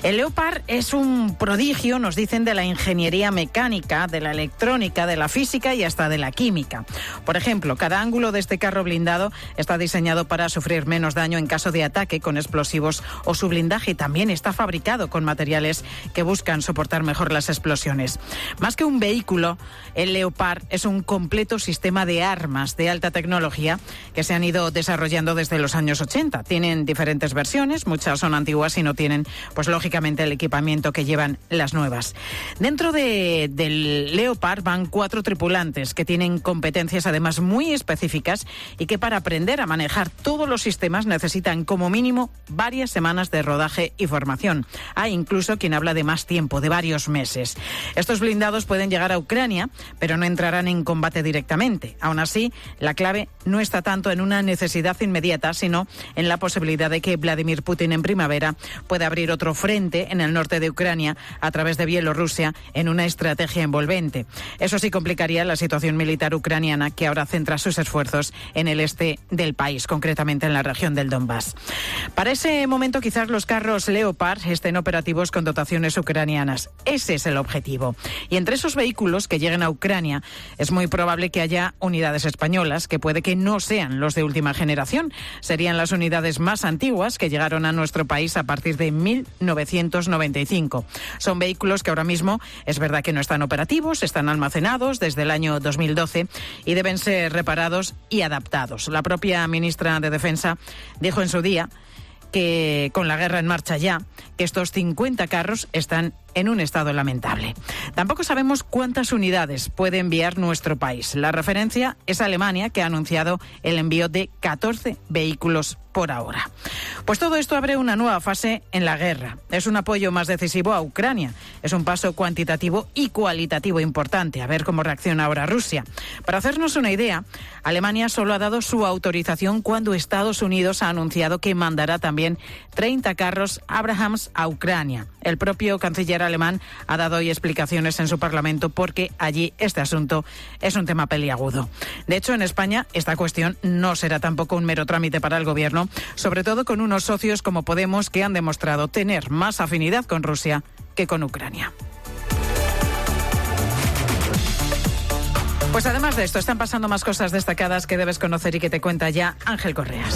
El Leopard es un prodigio, nos dicen, de la ingeniería mecánica, de la electrónica, de la física y hasta de la química. Por ejemplo, cada ángulo de este carro blindado está diseñado para sufrir menos daño en caso de ataque con explosivos o su blindaje también está fabricado con materiales que buscan soportar mejor las explosiones. Más que un vehículo, el Leopard es un completo sistema de armas de alta tecnología que se han ido desarrollando desde los años 80. Tienen diferentes versiones, muchas son antiguas y no tienen, pues lógicamente, el equipamiento que llevan las nuevas. Dentro del Leopard van 4 tripulantes que tienen competencias además muy específicas y que para aprender a manejar todos los sistemas necesitan como mínimo varias semanas de rodaje y formación. Hay incluso quien habla de más tiempo, de varios meses. Estos blindados pueden llegar a Ucrania, pero no entrarán en combate directamente. Aún así, la clave no está tanto en una necesidad inmediata, sino en la posibilidad de que Vladimir Putin en primavera pueda abrir otro frente en el norte de Ucrania a través de Bielorrusia en una estrategia envolvente. Eso sí complicaría la situación militar ucraniana, que ahora centra sus esfuerzos en el este del país, concretamente en la región del Donbass. Para ese momento, quizás los carros Leopard estén operativos con dotaciones ucranianas. Ese es el objetivo. Y entre esos vehículos que lleguen a Ucrania, es muy probable que haya unidades españolas que puede que no sean los de última generación. Serían las unidades más antiguas que llegaron a nuestro país a partir de 1995. Son vehículos que ahora mismo es verdad que no están operativos, están almacenados desde el año 2012 y deben ser reparados y adaptados. La propia ministra de Defensa dijo en su día que con la guerra en marcha ya, que estos 50 carros están en un estado lamentable. Tampoco sabemos cuántas unidades puede enviar nuestro país. La referencia es Alemania, que ha anunciado el envío de 14 vehículos por ahora. Pues todo esto abre una nueva fase en la guerra. Es un apoyo más decisivo a Ucrania. Es un paso cuantitativo y cualitativo importante. A ver cómo reacciona ahora Rusia. Para hacernos una idea, Alemania solo ha dado su autorización cuando Estados Unidos ha anunciado que mandará también 30 carros Abrams a Ucrania. El propio canciller alemán ha dado hoy explicaciones en su Parlamento porque allí este asunto es un tema peliagudo. De hecho, en España esta cuestión no será tampoco un mero trámite para el gobierno, sobre todo con unos socios como Podemos que han demostrado tener más afinidad con Rusia que con Ucrania. Pues además de esto, están pasando más cosas destacadas que debes conocer y que te cuenta ya Ángel Correas.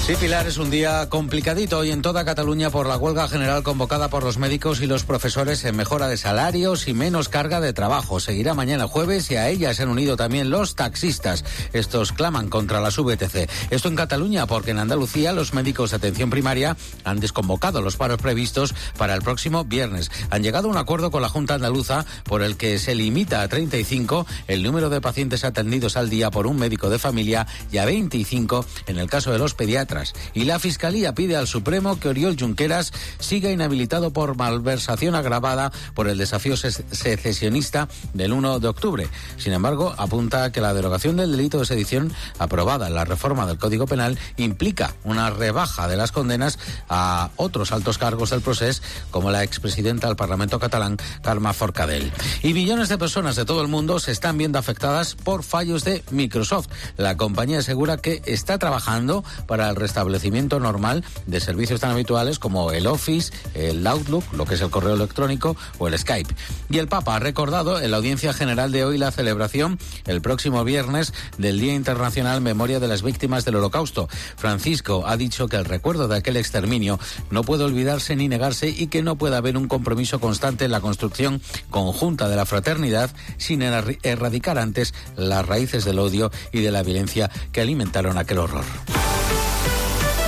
Sí, Pilar, es un día complicadito hoy en toda Cataluña por la huelga general convocada por los médicos y los profesores en mejora de salarios y menos carga de trabajo. Seguirá mañana jueves y a ella se han unido también los taxistas. Estos claman contra las VTC. Esto en Cataluña porque en Andalucía los médicos de atención primaria han desconvocado los paros previstos para el próximo viernes. Han llegado a un acuerdo con la Junta Andaluza por el que se limita a 35 el número de pacientes atendidos al día por un médico de familia y a 25 en el caso de los pediatras. Y la Fiscalía pide al Supremo que Oriol Junqueras siga inhabilitado por malversación agravada por el desafío secesionista del 1 de octubre. Sin embargo, apunta que la derogación del delito de sedición aprobada en la reforma del Código Penal implica una rebaja de las condenas a otros altos cargos del procés, como la expresidenta del Parlamento catalán, Carme Forcadell. Y millones de personas de todo el mundo se están viendo afectadas por fallos de Microsoft. La compañía asegura que está trabajando para el restablecimiento normal de servicios tan habituales como el Office, el Outlook, lo que es el correo electrónico, o el Skype. Y el Papa ha recordado en la audiencia general de hoy la celebración el próximo viernes del Día Internacional Memoria de las Víctimas del Holocausto. Francisco ha dicho que el recuerdo de aquel exterminio no puede olvidarse ni negarse y que no puede haber un compromiso constante en la construcción conjunta de la fraternidad sin erradicar antes las raíces del odio y de la violencia que alimentaron aquel horror.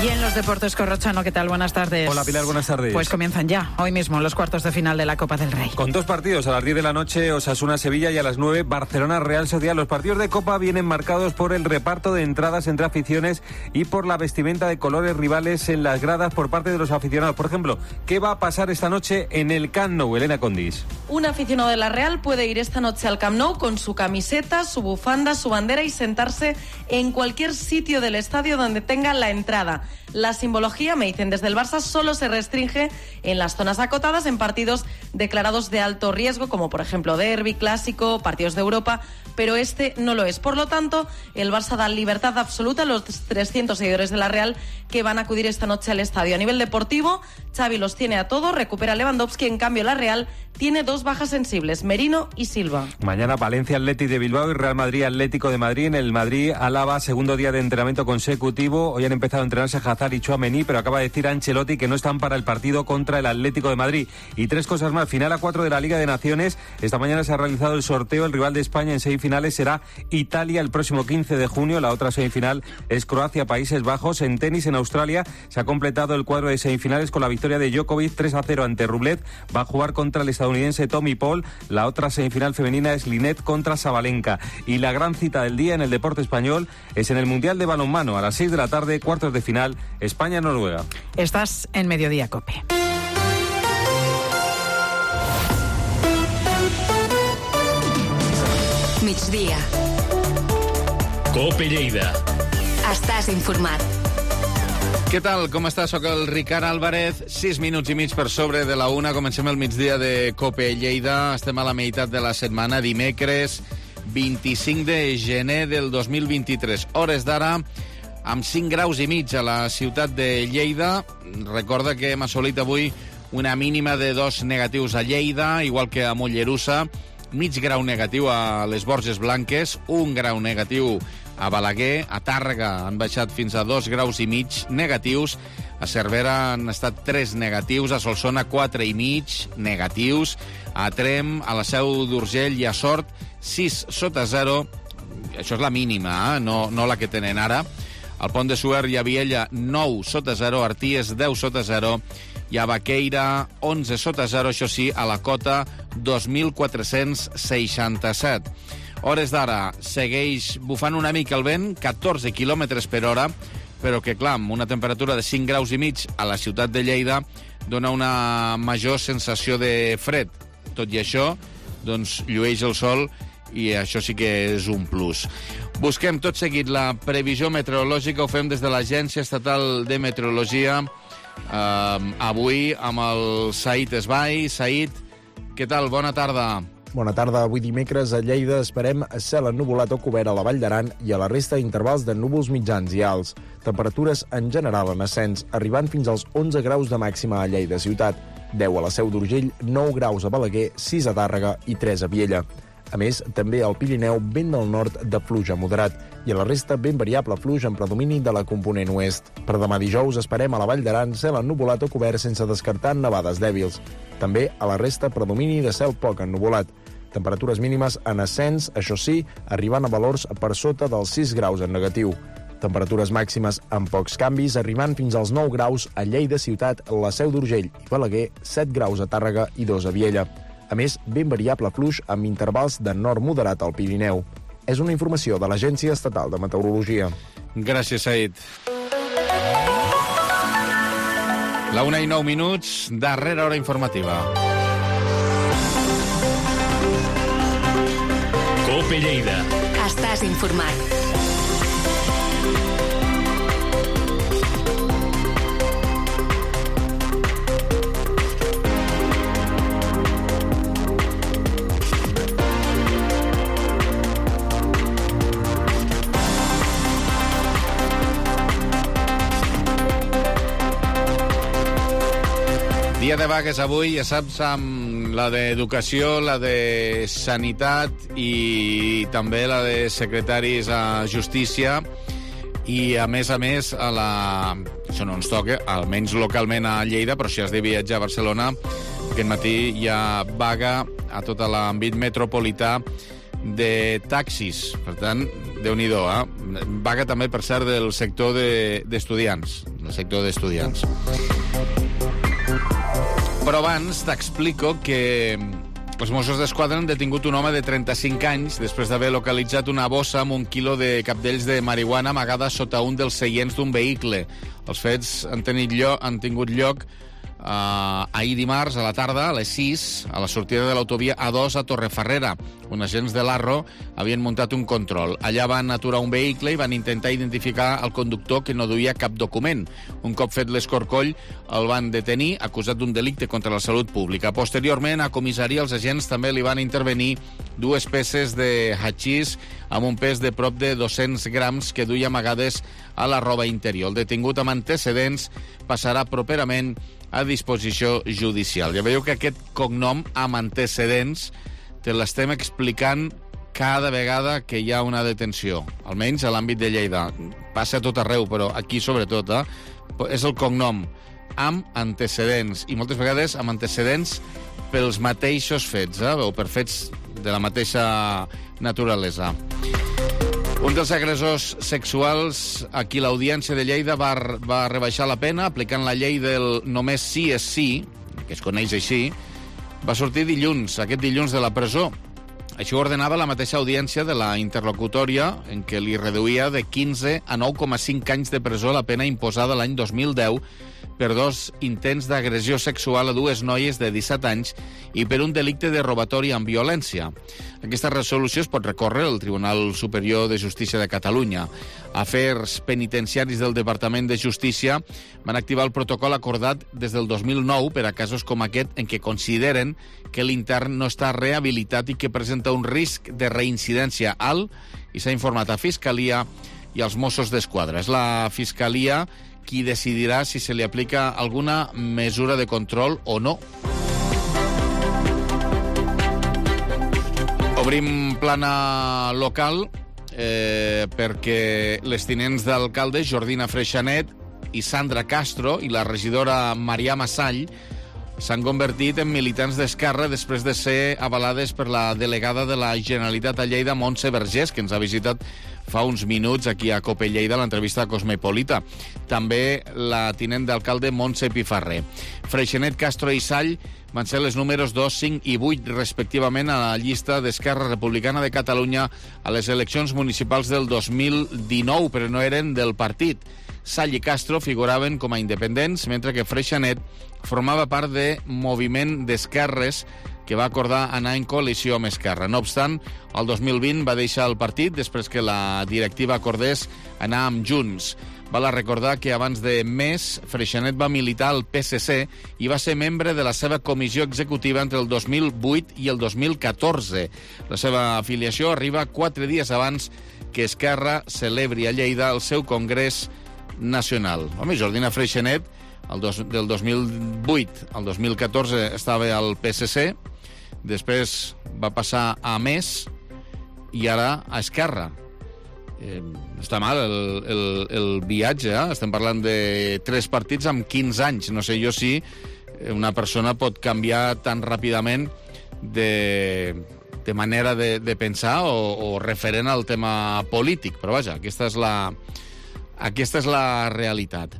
Y en los deportes, Corrochano, ¿qué tal? Buenas tardes. Hola, Pilar, buenas tardes. Pues comienzan ya, hoy mismo, los cuartos de final de la Copa del Rey. Con 2 partidos, a las 10 de la noche, Osasuna-Sevilla, y a las 9, Barcelona-Real Sociedad. Los partidos de Copa vienen marcados por el reparto de entradas entre aficiones y por la vestimenta de colores rivales en las gradas por parte de los aficionados. Por ejemplo, ¿qué va a pasar esta noche en el Camp Nou, Elena Condis? Un aficionado de la Real puede ir esta noche al Camp Nou con su camiseta, su bufanda, su bandera y sentarse en cualquier sitio del estadio donde tenga la entrada. La simbología, me dicen desde el Barça, solo se restringe en las zonas acotadas en partidos declarados de alto riesgo, como por ejemplo derbi, clásico, partidos de Europa, pero este no lo es. Por lo tanto, el Barça da libertad absoluta a los 300 seguidores de la Real que van a acudir esta noche al estadio. A nivel deportivo, Xavi los tiene a todos, recupera Lewandowski, en cambio la Real tiene 2 bajas sensibles, Merino y Silva. Mañana Valencia Athletic de Bilbao y Real Madrid Atlético de Madrid. En el Madrid Álava, segundo día de entrenamiento consecutivo. Hoy han empezado a entrenarse Hazard y Tchouaméni, pero acaba de decir Ancelotti que no están para el partido contra el Atlético de Madrid. Y 3 cosas más. Final A4 de la Liga de Naciones. Esta mañana se ha realizado el sorteo. El rival de España en semifinales será Italia el próximo 15 de junio. La otra semifinal es Croacia-Países Bajos. En tenis, en Australia, se ha completado el cuadro de semifinales con la victoria de Djokovic 3-0 ante Rublev. Va a jugar contra el estadounidense Tommy Paul. La otra semifinal femenina es Linette contra Sabalenka. Y la gran cita del día en el deporte español es en el Mundial de Balonmano. A las 6 de la tarde, cuartos de final, España-Noruega. Estás en Mediodía Cope. Migdia. Cope Lleida. Estàs informat. Què tal? Com està? Soc el Ricard Álvarez. 6 minuts i mig per sobre de la 1. Comencem el migdia de Cope Lleida. Estem a la meitat de la setmana, dimecres 25 de gener del 2023. Hores d'ara, amb 5 graus i mig a la ciutat de Lleida. Recorda que hem assolit avui una mínima de 2 negatius a Lleida, igual que a Mollerussa, mig grau negatiu a les Borges Blanques, 1 grau negatiu a Balaguer, a Tàrrega han baixat fins a 2 graus i mig negatius, a Cervera han estat 3 negatius, a Solsona 4 i mig negatius, a Trem, a la Seu d'Urgell i a Sort 6 sota 0, això és la mínima, no la que tenen ara. Al Pont de Suert i a Viella 9 sota 0, a Arties 10 sota 0 i a Baqueira 11 sota 0, això sí, a la cota 2.467. Hores d'ara segueix bufant una mica el vent, 14 km per hora, però que, clar, amb una temperatura de 5 graus i mig a la ciutat de Lleida dona una major sensació de fred. Tot i això, doncs, llueix el sol i això sí que és un plus. Busquem tot seguit la previsió meteorològica, ho fem des de l'Agència Estatal de Meteorologia, avui amb el Said Esbai. Said, què tal? Bona tarda. Bona tarda. Avui dimecres a Lleida esperem cel ennuvolat o cobert a la Vall d'Aran i a la resta d'intervals de núvols mitjans i alts. Temperatures en general en ascens, arribant fins als 11 graus de màxima a Lleida ciutat, 10 a la Seu d'Urgell, 9 graus a Balaguer, 6 a Tàrrega i 3 a Viella. A més, també al Pirineu, vent del nord de fluix a moderat i a la resta ben variable fluix en predomini de la component oest. Per demà dijous esperem a la Vall d'Aran cel ennuvolat o cobert sense descartar nevades dèbils. També a la resta predomini de cel poc ennuvolat. Temperatures mínimes en ascens, això sí, arribant a valors per sota dels 6 graus en negatiu. Temperatures màximes amb pocs canvis, arribant fins als 9 graus a Lleida ciutat, la Seu d'Urgell i Balaguer, 7 graus a Tàrrega i 2 a Viella. A més, ben variable fluix amb intervals de nord moderat al Pirineu. És una informació de l'Agència Estatal de Meteorologia. Gràcies, Said. La 1:09, darrera hora informativa. Cope Lleida. Estàs informat. vagues avui, ja saps, amb la d'Educació, la de Sanitat i també la de secretaris a Justícia. I, a més, això no ens toca, almenys localment a Lleida, però si has de viatjar a Barcelona, aquest matí hi ha vaga a tot l'àmbit metropolità de taxis. Per tant, Déu-n'hi-do, Vaga també, per cert, del sector d'estudiants. Però abans t'explico que els Mossos d'Esquadra han detingut un home de 35 anys després d'haver localitzat una bossa amb 1 quilo de capdells de marihuana amagada sota un dels seients d'un vehicle. Els fets han tingut lloc ahir dimarts a la tarda, a les 6, a la sortida de l'autovia A2 a Torrefarrera. Uns agents de l'Arro havien muntat un control. Allà van aturar un vehicle i van intentar identificar el conductor, que no duia cap document. Un cop fet l'escorcoll, el van detenir, acusat d'un delicte contra la salut pública. Posteriorment, a comissaria, els agents també li van intervenir 2 peces de hachís amb un pes de prop de 200 grams que duia amagades a la roba interior. El detingut amb antecedents passarà properament a disposició judicial. Ja veieu que aquest cognom amb antecedents te l'estem explicant cada vegada que hi ha una detenció, almenys a l'àmbit de Lleida. Passa a tot arreu, però aquí sobretot, és el cognom amb antecedents, i moltes vegades amb antecedents pels mateixos fets, o per fets de la mateixa naturalesa. Un dels agressors sexuals, aquí l'Audiència de Lleida va rebaixar la pena aplicant la llei del només sí és sí, que es coneix així, va sortir aquest dilluns de la presó. Això ordenava la mateixa audiència de la interlocutòria, en què li reduïa de 15 a 9,5 anys de presó la pena imposada l'any 2010 per 2 intents d'agressió sexual a 2 noies de 17 anys i per un delicte de robatori amb violència. Aquesta resolució es pot recórrer al Tribunal Superior de Justícia de Catalunya. Afers penitenciaris del Departament de Justícia van activar el protocol acordat des del 2009 per a casos com aquest en què consideren que l'intern no està rehabilitat i que presenta un risc de reincidència alt, i s'ha informat a Fiscalia i als Mossos d'Esquadra. És la Fiscalia qui decidirà si se li aplica alguna mesura de control o no. Obrim plana local perquè les tinents d'alcalde Jordina Freixanet i Sandra Castro i la regidora Marià Massall s'han convertit en militants d'Esquerra després de ser avalades per la delegada de la Generalitat a Lleida, Montse Vergés, que ens ha visitat fa uns minuts aquí a Cope Lleida, a l'entrevista Cosmopolita. També la tinent d'alcalde Montse Pifarré. Freixanet, Castro i Sall van ser les números 2, 5 i 8, respectivament, a la llista d'Esquerra Republicana de Catalunya a les eleccions municipals del 2019, però no eren del partit. Sall i Castro figuraven com a independents, mentre que Freixanet formava part de Moviment d'Esquerres, que va acordar anar en coalició amb Esquerra. No obstant, el 2020 va deixar el partit després que la directiva acordés anar amb Junts. Val a recordar que abans de mes, Freixanet va militar al PSC i va ser membre de la seva comissió executiva entre el 2008 i el 2014. La seva afiliació arriba 4 dies abans que Esquerra celebri a Lleida el seu congrés nacional. Home, Jordina Freixanet, del 2008 al 2014 estava al PSC, després va passar a MES i ara a Esquerra. Està mal el viatge, Estem parlant de 3 partits amb 15 anys. No sé jo si una persona pot canviar tan ràpidament de manera de pensar o referent al tema polític. Però vaja, aquesta és la realitat.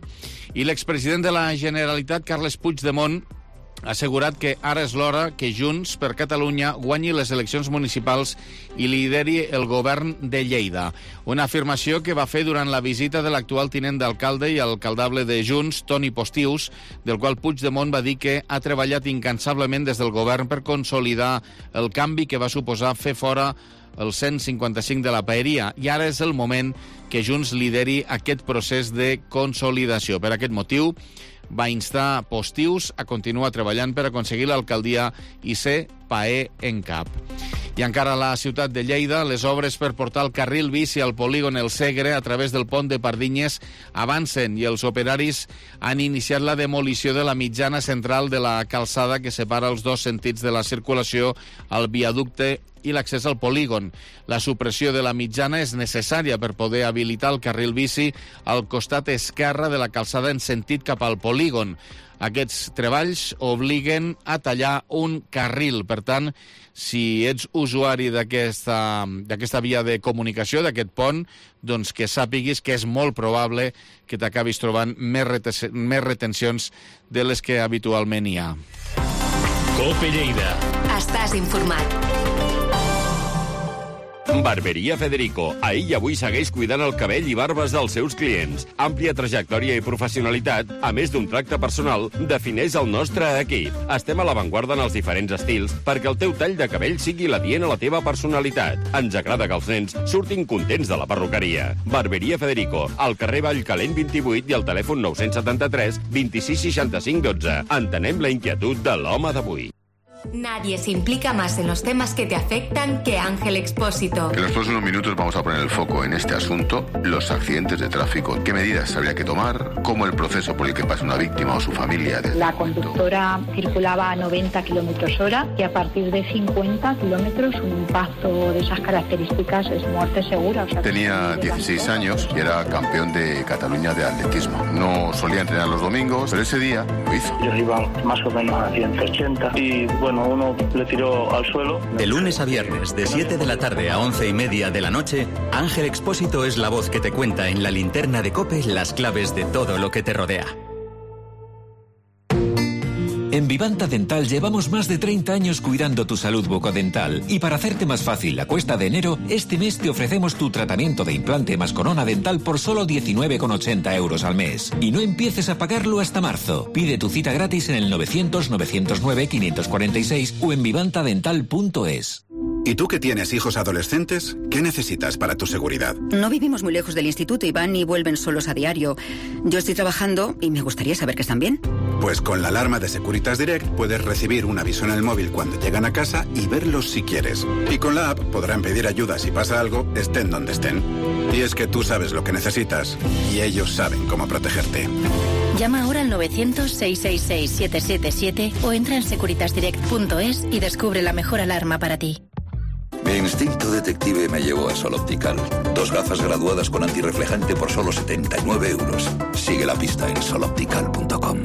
I l'expresident de la Generalitat, Carles Puigdemont, ha assegurat que ara és l'hora que Junts per Catalunya guanyi les eleccions municipals i lideri el govern de Lleida. Una afirmació que va fer durant la visita de l'actual tinent d'alcalde i alcaldable de Junts, Toni Postius, del qual Puigdemont va dir que ha treballat incansablement des del govern per consolidar el canvi que va suposar fer fora el 155 de la paeria, i ara és el moment que Junts lideri aquest procés de consolidació. Per aquest motiu, va instar Postius a continuar treballant per aconseguir l'alcaldia i ser paer en cap. I encara a la ciutat de Lleida, les obres per portar el carril bici al polígon El Segre a través del pont de Pardinyes avancen i els operaris han iniciat la demolició de la mitjana central de la calçada que separa els dos sentits de la circulació al viaducte i l'accés al polígon. La supressió de la mitjana és necessària per poder habilitar el carril bici al costat esquerre de la calçada en sentit cap al polígon. Aquests treballs obliguen a tallar un carril. Per tant, si ets usuari d'aquesta via de comunicació, d'aquest pont, doncs que sàpiguis que és molt probable que t'acabis trobant més retencions de les que habitualment hi ha. COPE Lleida. Estàs informat. Barberia Federico. Ahir i avui segueix cuidant el cabell i barbes dels seus clients. Àmplia trajectòria i professionalitat, a més d'un tracte personal, defineix el nostre equip. Estem a l'avantguarda en els diferents estils perquè el teu tall de cabell sigui l'adient a la teva personalitat. Ens agrada que els nens surtin contents de la perruqueria. Barberia Federico, al carrer Vallcalent 28 i al telèfon 973 26 65 12. Entenem la inquietud de l'home d'avui. Nadie se implica más en los temas que te afectan que Ángel Expósito. En los próximos minutos vamos a poner el foco en este asunto, los accidentes de tráfico, qué medidas habría que tomar, cómo el proceso por el que pasa una víctima o su familia. La conductora circulaba a 90 kilómetros hora y a partir de 50 kilómetros un impacto de esas características es muerte segura. O sea, tenía 16 años y era campeón de Cataluña de atletismo. No solía entrenar los domingos, pero ese día lo hizo. Yo iba más o menos a 180 y bueno, uno le tiró al suelo. De lunes a viernes, de 7 de la tarde a 11:30 de la noche, Ángel Expósito es la voz que te cuenta en la linterna de COPE las claves de todo lo que te rodea. En Vivanta Dental llevamos más de 30 años cuidando tu salud bucodental y para hacerte más fácil la cuesta de enero, este mes te ofrecemos tu tratamiento de implante más corona dental por solo 19,80 euros al mes. Y no empieces a pagarlo hasta marzo. Pide tu cita gratis en el 900-909-546 o en vivantadental.es. ¿Y tú que tienes hijos adolescentes? ¿Qué necesitas para tu seguridad? No vivimos muy lejos del instituto y van y vuelven solos a diario. Yo estoy trabajando y me gustaría saber que están bien. Pues con la alarma de Securitas Direct puedes recibir un aviso en el móvil cuando llegan a casa y verlos si quieres. Y con la app podrán pedir ayuda si pasa algo, estén donde estén. Y es que tú sabes lo que necesitas y ellos saben cómo protegerte. Llama ahora al 900-666-777 o entra en securitasdirect.es y descubre la mejor alarma para ti. Mi instinto detective me llevó a Sol Optical. 2 gafas graduadas con antirreflejante por solo 79 euros. Sigue la pista en soloptical.com.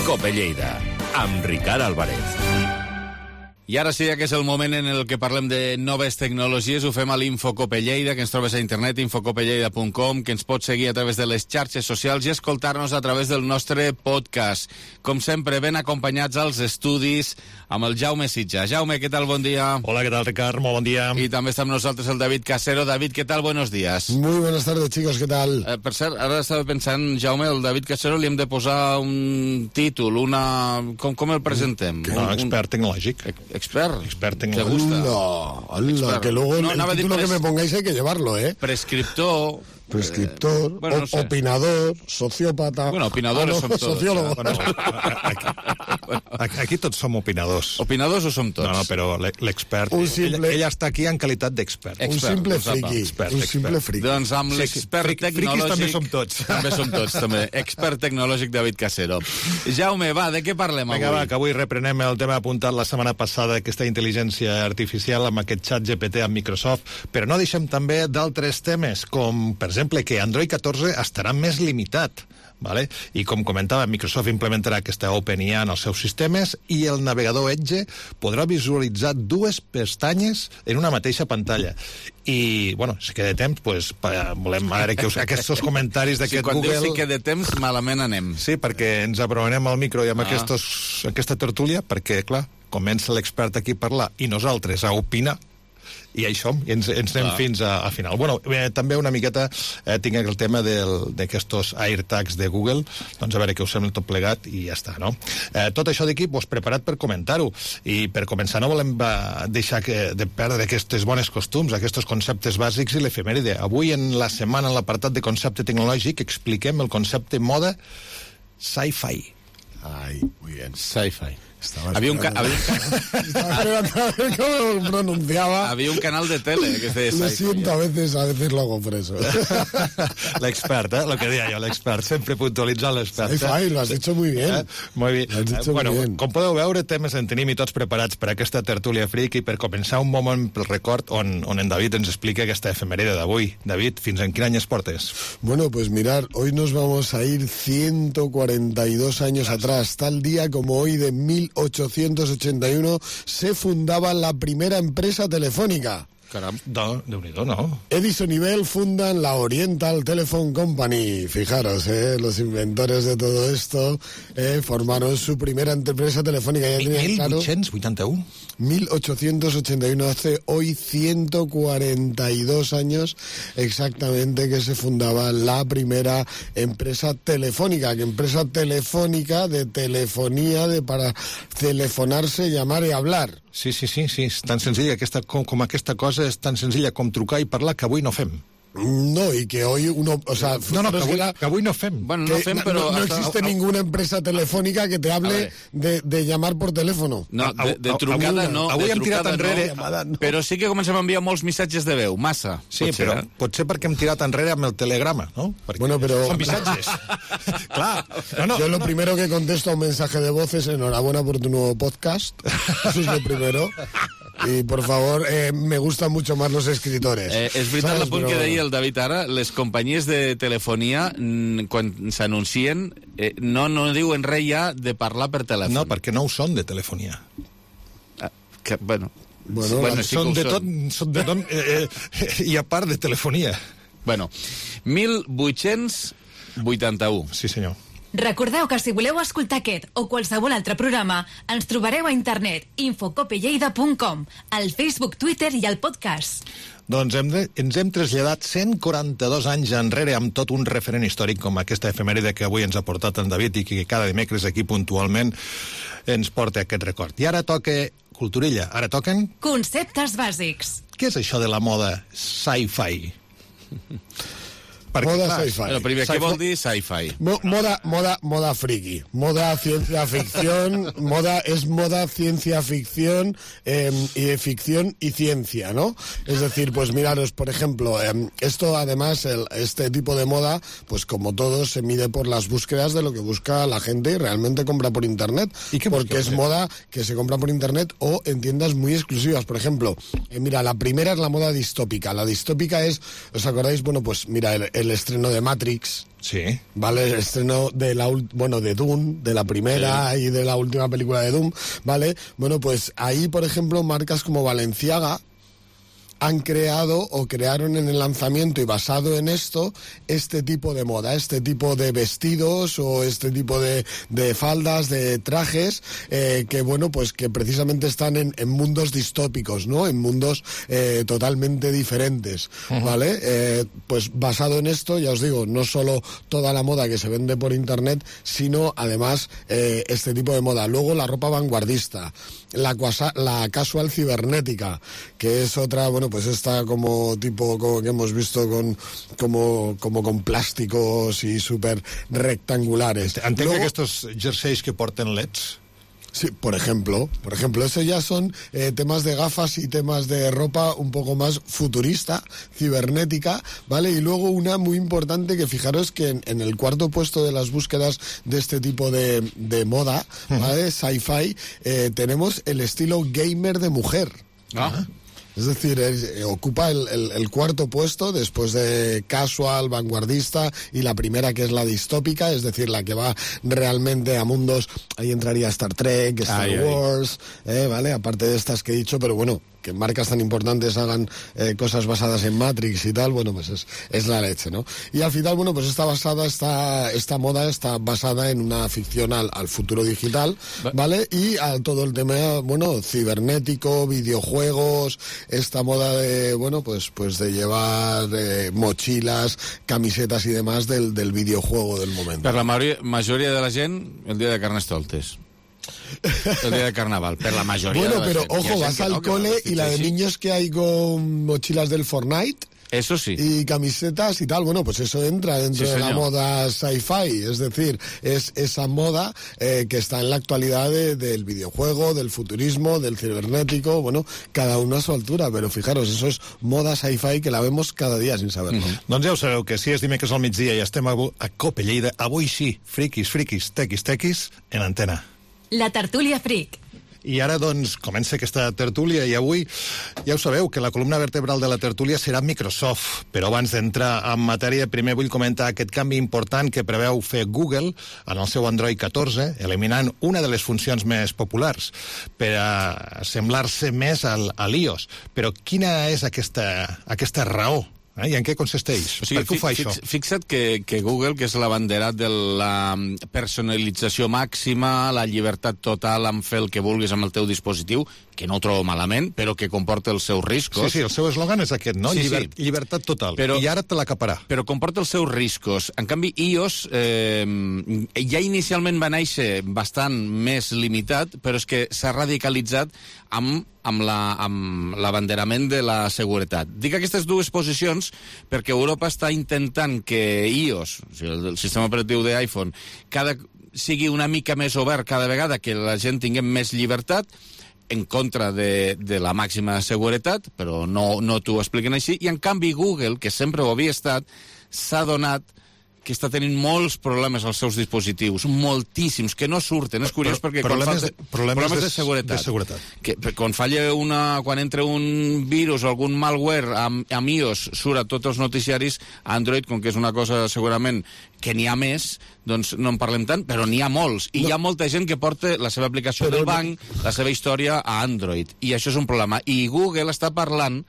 COPE Lleida, amb Ricard Álvarez. I ara sí que és el moment en el que parlem de noves tecnologies. Ho fem a l'Infocope Lleida, que ens trobes a internet, infocopelleida.com, que ens pots seguir a través de les xarxes socials i escoltar-nos a través del nostre podcast. Com sempre, ben acompanyats als estudis amb el Jaume Sitja. Jaume, què tal? Bon dia. Hola, ¿qué tal, Ricard? Muy buen día. Y también está con nosotros el David Casero. David, ¿qué tal? Buenos días. Muy buenas tardes, chicos, ¿qué tal? Per cert, ara estava pensant, Jaume, el David Casero li hem de posar un títol, una... Com el presentem? Expert tecnològic. Expert tecnològic. Hola, que luego el título que me pongáis hay que llevarlo, ¿eh? Prescriptor... bueno, no sé. Opinador, sociópata... Bueno, opinadores som tots. Sociólogo. Aquí tots som opinadors. Opinadors ho som tots? No, però l'expert... Ell està aquí en qualitat d'expert. Un simple friki. Doncs amb l'expert tecnològic... Friquis també som tots. També som tots, també. Expert tecnològic David Casero. Jaume, va, de què parlem avui? Vinga, va, que avui reprenem el tema apuntat la setmana passada, aquesta intel·ligència artificial amb aquest xat GPT amb Microsoft, però no deixem també d'altres temes, com, per exemple, que Android 14 estarà més limitat. Vale? I com comentava, Microsoft implementarà aquesta OpenIA en els seus sistemes i el navegador Edge podrà visualitzar 2 pestanyes en una mateixa pantalla. I, bueno, si queda temps, pues, volem veure que aquests comentaris d'aquest Google... Quan dius si queda temps, malament anem. Sí, perquè ens aprovarem al micro i amb aquesta tertúlia, perquè, clar, comença l'expert aquí a parlar i nosaltres a opinar, i això, i ens anem fins a final. Bueno, també una miqueta tinc el tema d'aquests AirTags de Google, doncs a veure què us sembla tot plegat i ja està, no? Tot això d'aquí, doncs, preparat per comentar-ho, i per començar no volem deixar de perdre aquests bones costums, aquests conceptes bàsics i l'efemèride. Avui, en la setmana, en l'apartat de concepte tecnològic, expliquem el concepte moda sci-fi. Ai, muy bien, sci-fi. Había un Estaba esperando a ver cómo pronunciaba. Había un canal de tele que se Lo siento, a veces lo hago por eso. L'expert, lo que deia jo, l'expert, sempre puntualitzant l'expert. Sci-fi, lo has hecho muy bien. Molt bé. Lo has hecho Bueno, muy bien. com podeu veure, temes en tenim i tots preparats per aquesta tertúlia friki, per començar un moment pel record on en David ens explica aquesta efemèride d'avui. David, fins en quin any es portes? Bueno, pues mirar, hoy nos vamos a ir 142 años atrás. Tal día como hoy de 1881 se fundaba la primera empresa telefónica. Caram, Déu-n'hi-do, no? Edison y Bell fundan la Oriental Telephone Company. Fijaros, los inventores de todo esto formaron su primera empresa telefónica. Ya tenían claro, 1881. 1881, hace hoy 142 años exactamente que se fundaba la primera empresa telefónica. Que empresa telefónica de telefonía, para telefonarse, llamar y hablar. Sí, és tan senzilla, com aquesta cosa és tan senzilla com trucar i parlar que avui no fem. No, y que hoy uno, o sea, que avui no fem. Bueno, no fem, però... No existe ninguna empresa telefónica que te hable de llamar por teléfono. No, de trucada no. Avui hem tirat enrere... Però sí que comencem a enviar molts missatges de veu, massa. Sí, però potser perquè hem tirat enrere amb el telegrama, ¿no? Perquè bueno, pero... Son missatges. Clar. No. Yo lo primero que contesto a un mensaje de voz es enhorabuena por tu nuevo podcast. Eso es lo primero. Y por favor, me gustan mucho más los escritores. És veritat el punt que deia el David ara, les companyies de telefonia, quan s'anuncien, no diuen res ja de parlar per telèfon. No, perquè no ho són de telefonia. Bueno, sí són de tot, i a part de telefonia. Bueno, 1881. Sí, senyor. Recordeu que si voleu escoltar aquest o qualsevol altre programa, ens trobareu a internet infocopelleida.com, al Facebook, Twitter i al podcast. Doncs ens hem traslladat 142 anys enrere amb tot un referent històric com aquesta efemèride que avui ens ha portat en David i que cada dimecres aquí puntualment ens porta aquest record. I ara toca Culturilla. Ara toquen... Conceptes bàsics. Què és això de la moda sci-fi? Moda sci-fi. Bueno, primer, què vol dir sci-fi? Moda friki. Moda ciencia ficción. Moda ciencia ficción y ciencia, ¿no? Es decir, pues miraros, por ejemplo, esto además, este tipo de moda, pues como todo, se mide por las búsquedas de lo que busca la gente y realmente compra por internet. Porque es moda que se compra por internet o en tiendas muy exclusivas. Por ejemplo, mira, la primera es la moda distópica. La distópica es, ¿os acordáis? Bueno, pues mira, el estreno de Matrix. Sí. ¿Vale? El estreno de de Dune, de la primera y de la última película de Dune, ¿vale? Bueno, pues ahí, por ejemplo, marcas como Balenciaga han creado o crearon en el lanzamiento y basado en esto este tipo de moda, este tipo de vestidos o este tipo de faldas, de trajes que bueno, pues que precisamente están en mundos distópicos, ¿no? En mundos totalmente diferentes, ¿vale? Pues basado en esto, ya os digo, no solo toda la moda que se vende por internet, sino además este tipo de moda. Luego la ropa vanguardista, la casual cibernética, que es otra, bueno, pues esta como que hemos visto como con plásticos y súper rectangulares. Entenc que estos jerseys que porten LEDs... Sí, por ejemplo, eso ya son temas de gafas y temas de ropa un poco más futurista, cibernética, ¿vale? Y luego una muy importante que fijaros que en el cuarto puesto de las búsquedas de este tipo de moda, ¿vale? Sci-fi, tenemos el estilo gamer de mujer. Es decir, ocupa el cuarto puesto después de casual, vanguardista y la primera que es la distópica, es decir, la que va realmente a mundos, ahí entraría Star Trek, Star Wars, ¿vale? Aparte de estas que he dicho, pero bueno, que marcas tan importantes hagan cosas basadas en Matrix y tal, bueno, pues es la leche, ¿no? Y al final, bueno, pues esta moda está basada en una ficción al futuro digital, ¿vale? Y a todo el tema, bueno, cibernético, videojuegos, esta moda de, bueno, pues de llevar mochilas, camisetas y demás del videojuego del momento. Per la majoria de la gent, el dia de Carnestoltes. El día de carnaval, pero la mayoría. Bueno, pero ojo, vas al cole y la de niños que hay con mochilas del Fortnite. Eso sí. Y camisetas y tal. Bueno, pues eso entra dentro de la moda sci-fi. Es decir, es esa moda que está en la actualidad del videojuego, del futurismo, del cibernético. Bueno, cada uno a su altura. Pero fijaros, eso es moda sci-fi que la vemos cada día sin saberlo. Doncs ja ho sabeu, que si és dimecres al migdia i estem a Cope Lleida, avui sí, friquis, tequis, en antena. La tertúlia Fric. I ara, doncs, comença aquesta tertúlia i avui ja ho sabeu, que la columna vertebral de la tertúlia serà Microsoft. Però abans d'entrar en matèria, primer vull comentar aquest canvi important que preveu fer Google en el seu Android 14, eliminant una de les funcions més populars per a semblar-se més a l'iOS. Però quina és aquesta raó? I en què consisteix? Per què ho fa això? Fixa't que Google, que és l'abanderat de la personalització màxima, la llibertat total en fer el que vulguis amb el teu dispositiu, que no ho trobo malament, però que comporta els seus riscos. Sí, el seu eslògan és aquest, no? Llibertat total. I ara te l'acaparà. Però comporta els seus riscos. En canvi, iOS ja inicialment va néixer bastant més limitat, però és que s'ha radicalitzat amb l'abanderament de la seguretat. Dic aquestes dues posicions perquè Europa està intentant que iOS, o sigui, el sistema operatiu d'iPhone, sigui una mica més obert cada vegada, que la gent tinguem més llibertat, en contra de la màxima seguretat, però no t'ho expliquen així, i en canvi Google, que sempre ho havia estat, s'ha donat que està tenint molts problemes als seus dispositius, moltíssims, que no surten. És curiós perquè problemes de seguretat. Que quan falla quan entra un virus o algun malware amb iOS surt a tots els noticiaris, Android, com que és una cosa segurament que n'hi ha més, doncs no en parlem tant, però n'hi ha molts. I hi ha molta gent que porta la seva aplicació del banc, la seva història a Android. I això és un problema. I Google està parlant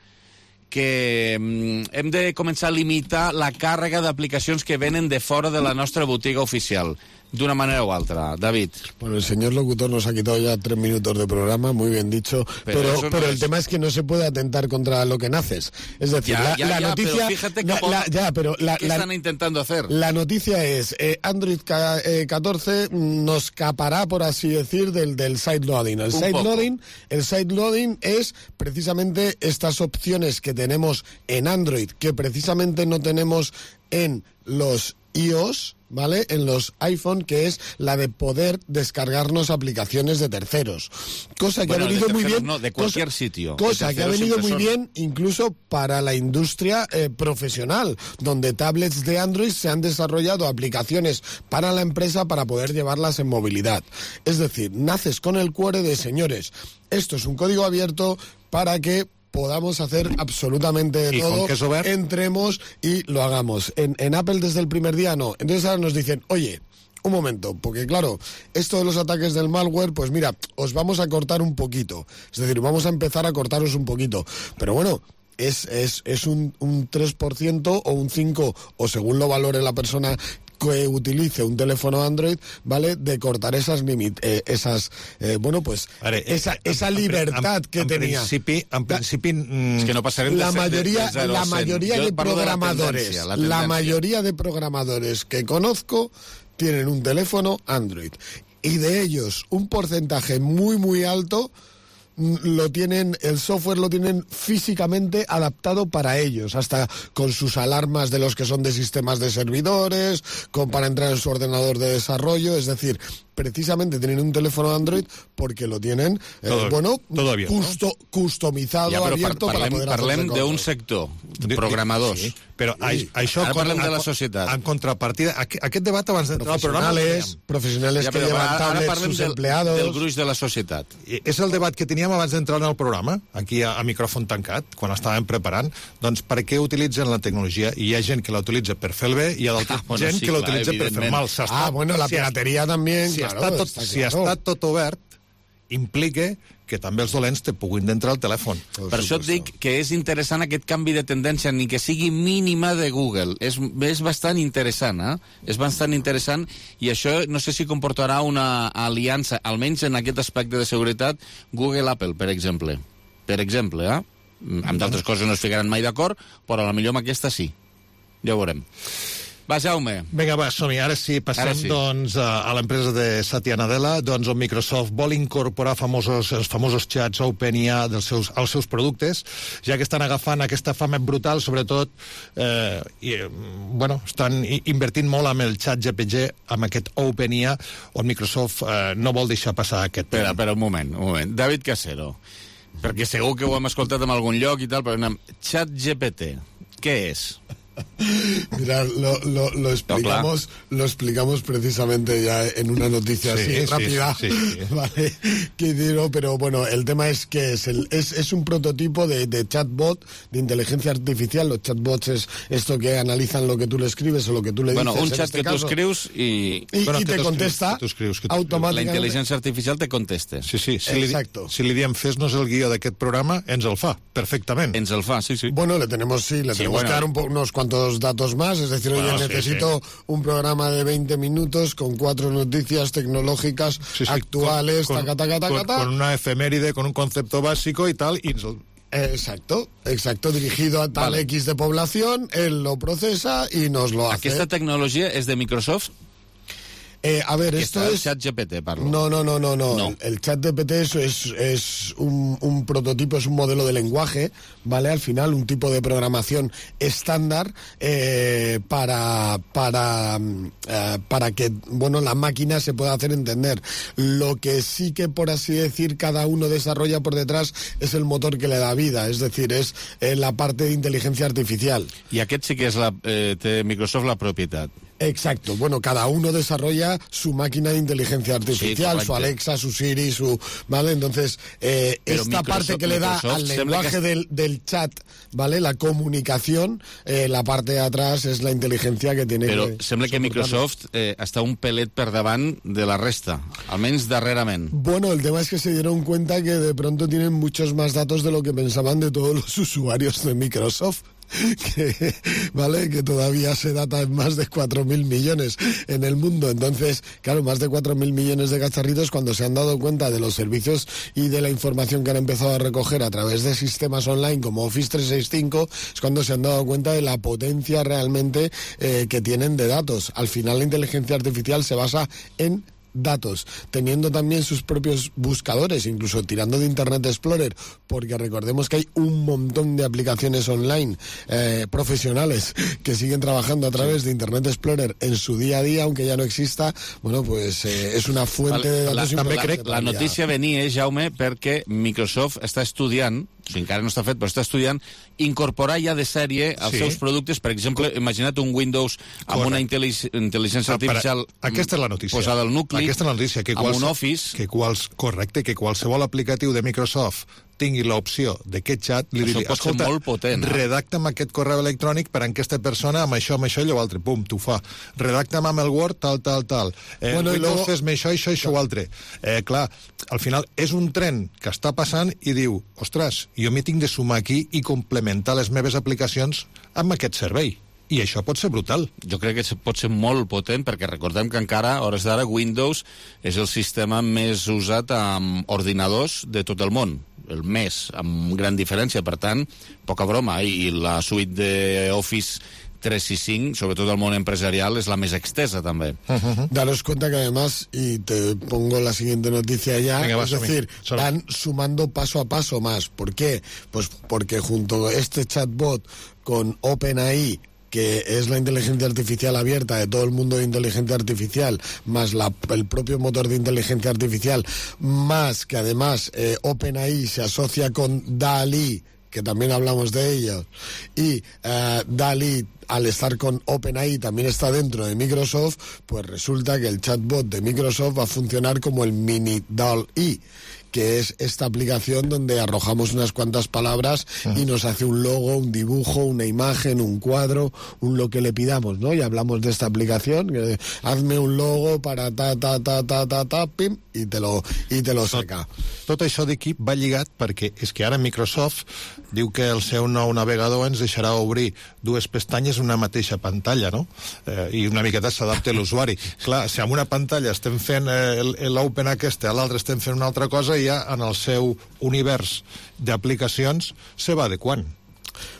que hem de començar a limitar la càrrega d'aplicacions que venen de fora de la nostra botiga oficial, d'una manera o altra. David. Bueno, el señor locutor nos ha quitado ya 3 minutos de programa, muy bien dicho, pero el tema es que no se puede atentar contra lo que naces. Es decir, la noticia... Pero fíjate ¿qué están intentando hacer? La noticia es, Android 14 nos escapará, por así decir, del sideloading. El sideloading es precisamente estas opciones que tenemos en Android, que precisamente no tenemos en los iOS, ¿vale? En los iPhone, que es la de poder descargarnos aplicaciones de terceros. Cosa que ha venido muy bien. No, de cualquier sitio. Cosa que ha venido muy bien incluso para la industria profesional, donde tablets de Android se han desarrollado aplicaciones para la empresa para poder llevarlas en movilidad. Es decir, naces con el cuore de señores. Esto es un código abierto para que podamos hacer absolutamente de todo, entremos y lo hagamos. En Apple desde el primer día no. Entonces ahora nos dicen, oye, un momento, porque claro, esto de los ataques del malware, pues mira, os vamos a cortar un poquito. Es decir, vamos a empezar a cortaros un poquito. Pero bueno, es un 3% o un 5%, o según lo valore la persona que utilice un teléfono Android, ¿vale?, de cortar esa libertad que tenía. En principi és que no passarem la mayoría de programadores que conozco tienen un teléfono Android, y de ellos un porcentaje muy muy alto el software lo tienen físicamente adaptado para ellos, hasta con sus alarmas de los que son de sistemas de servidores, para entrar en su ordenador de desarrollo. Es decir, precisamente tienen un teléfono Android porque lo tienen customizado, abierto para poder hacer. Parlem d'un sector, programadors. Sí, però això ara parlem de la societat. En contrapartida, aquest debat abans d'entrar al programa... Professionals que llevan tablets, sus empleados... Del gruix de la societat. És el debat que teníem abans d'entrar en el programa, aquí a micròfon tancat, quan estàvem preparant. Doncs per què utilitzen la tecnologia? I hi ha gent que la utilitza per fer el bé i hi ha gent que la utilitza per fer mal. La pirateria també... Si està tot obert, implica que també els dolents te puguin entrar al telèfon. Per això et dic que és interessant aquest canvi de tendència, ni que sigui mínima, de Google. És bastant interessant, És bastant interessant, i això no sé si comportarà una aliança, almenys en aquest aspecte de seguretat, Google-Apple, per exemple. Amb d'altres coses no es ficaran mai d'acord, però potser amb aquesta sí. Ja ho veurem. Va, Jaume. Vinga, va, som-hi. Ara sí, passem doncs, a l'empresa de Satya Nadella. Doncs on Microsoft vol incorporar els famosos xats OpenAI als seus productes, ja que estan agafant aquesta fama brutal, sobretot, estan invertint molt amb el xat GPT, amb aquest OpenAI, on Microsoft no vol deixar passar aquest tema. Espera, un moment. David Casero, perquè segur que ho hem escoltat en algun lloc i tal, però xat GPT, què és? Mira, lo explicamos precisamente ya en una noticia rápida, ¿vale? Pero bueno, el tema es que es un prototipo de chatbot de inteligencia artificial. Los chatbots es esto que analizan lo que tú le escribes o lo que tú le dices. Un chat que tú escrius y te contesta automáticamente. La intel·ligència artificial te contesta. Sí. Exacto. Si li diem fes-nos el guió d'aquest programa, ens el fa, perfectament. Ens el fa, sí. Bueno, le tenemos que dar unos cuantos datos más, es decir, oye, necesito un programa de 20 minutos con 4 noticias tecnológicas actuales, con una efeméride, con un concepto básico y tal, y Exacto, dirigido a tal X de población, él lo procesa y nos lo hace. ¿Aquesta tecnologia és de Microsoft? A ver, esto es... El chat GPT, parlo. No. El chat GPT es un prototipo, es un modelo de lenguaje, ¿vale? Al final, un tipo de programación estándar para que, la máquina se pueda hacer entender. Lo que sí que, por así decir, cada uno desarrolla por detrás es el motor que le da vida, es decir, es la parte de inteligencia artificial. I aquest sí que té Microsoft la propietat. Exacto, cada uno desarrolla su máquina de inteligencia artificial, su Alexa, su Siri, ¿vale? Entonces, esta parte que le da al lenguaje del chat, ¿vale? La comunicación, la parte de atrás es la inteligencia que tiene. Però sembla que Microsoft està un pelet per davant de la resta, almenys darrerament. Bueno, el tema es que se dieron cuenta que de pronto tienen muchos más datos de lo que pensaban de todos los usuarios de Microsoft. Que todavía se data en más de 4.000 millones en el mundo. Entonces, claro, más de 4.000 millones de cacharritos, cuando se han dado cuenta de los servicios y de la información que han empezado a recoger a través de sistemas online como Office 365, es cuando se han dado cuenta de la potencia realmente que tienen de datos. Al final, la inteligencia artificial se basa en datos, teniendo también sus propios buscadores, incluso tirando de Internet Explorer, porque recordemos que hay un montón de aplicaciones online profesionales que siguen trabajando a través de Internet Explorer en su día a día, aunque ya no exista. Es una fuente de datos importante. La notícia venia, Jaume, perquè Microsoft està estudiant, encara no està fet, però està estudiant incorporar ja de sèrie als seus productes. Per exemple, imagina't un Windows amb una intel·ligència artificial posada al nucli, amb un Office. Correcte, que qualsevol aplicatiu de Microsoft tingui l'opció d'aquest xat, li diria, escolta, redacta'm aquest correu electrònic per a aquesta persona amb això i allò altre, pum, t'ho fa. Redacta'm amb el Word, tal. Windows, fes-me això, o altre. Clar, al final és un tren que està passant i diu, ostres, jo m'hi tinc de sumar aquí i complementar les meves aplicacions amb aquest servei. I això pot ser brutal. Jo crec que pot ser molt potent, perquè recordem que encara, a hores d'ara, Windows és el sistema més usat amb ordinadors de tot el món. El més, amb gran diferència. Per tant, poca broma. I la suite d'Office 365, sobretot al món empresarial, es la més extesa también. Daros cuenta que además, y te pongo la siguiente noticia ya, es decir, van sumando paso a paso más. ¿Por qué? Pues porque junto a este chatbot con OpenAI, que es la inteligencia artificial abierta de todo el mundo de inteligencia artificial, más el propio motor de inteligencia artificial, más que además OpenAI se asocia con DALL-E, que también hablamos de ello, y DALL-E, al estar con OpenAI, también está dentro de Microsoft, pues resulta que el chatbot de Microsoft va a funcionar como el mini DALL-E, que es esta aplicación donde arrojamos unas cuantas palabras y nos hace un logo, un dibujo, una imagen, un cuadro, lo que le pidamos, ¿no? Y hablamos de esta aplicación, hazme un logo para pim, i te lo saca. Tot això d'equip va lligat perquè és que ara Microsoft diu que el seu nou navegador ens deixarà obrir dues pestanyes en una mateixa pantalla, no? I una miqueta s'adapta a l'usuari. Clar, si amb una pantalla estem fent l'Open aquesta, a l'altra estem fent una altra cosa, i ja en el seu univers d'aplicacions se va adequant.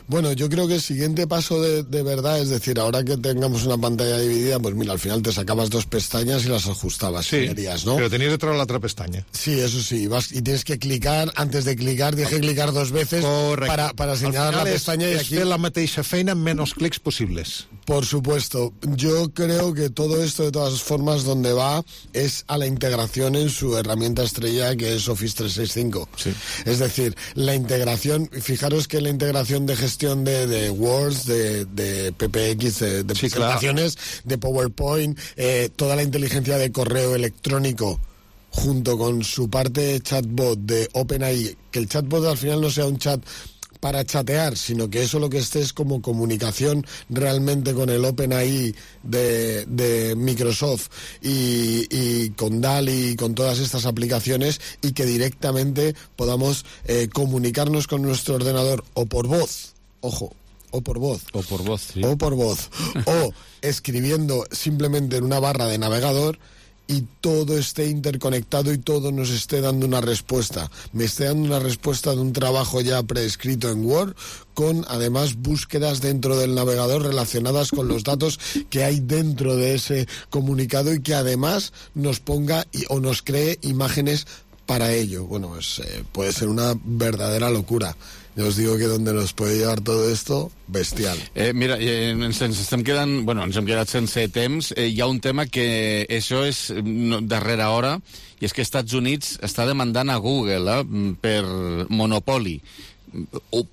Bueno, yo creo que el siguiente paso de verdad, es decir, ahora que tengamos una pantalla dividida, pues mira, al final te sacabas 2 pestañas y las ajustabas, sí, ¿no? Pero tenías detrás la otra pestaña. Sí, eso sí, vas y tienes que clicar, antes de clicar, tienes que clicar 2 veces para señalar la pestaña. Es fer la mateixa feina amb menys clics posibles. Por supuesto. Yo creo que todo esto, de todas formas, donde va es a la integración en su herramienta estrella, que es Office 365. Sí. Es decir, la integración, fijaros que la integración de gestión de Words, de PPX, de presentaciones, de PowerPoint, toda la inteligencia de correo electrónico, junto con su parte chatbot de OpenAI, que el chatbot al final no sea un chat para chatear, sino que eso lo que esté es como comunicación realmente con el OpenAI de Microsoft y con DALL-E y con todas estas aplicaciones, y que directamente podamos comunicarnos con nuestro ordenador o por voz, ojo, o por voz, sí. o escribiendo simplemente en una barra de navegador, y todo esté interconectado y todo nos esté dando una respuesta. Me esté dando una respuesta de un trabajo ya preescrito en Word, con además búsquedas dentro del navegador relacionadas con los datos que hay dentro de ese comunicado, y que además nos ponga o nos cree imágenes para ello. Bueno, pues puede ser una verdadera locura. Ja us digo que donde nos puede llevar todo esto, bestial. Mira, ens hem quedat sense temps. Hi ha un tema que això és darrera hora, i és que Estats Units està demandant a Google per monopoli.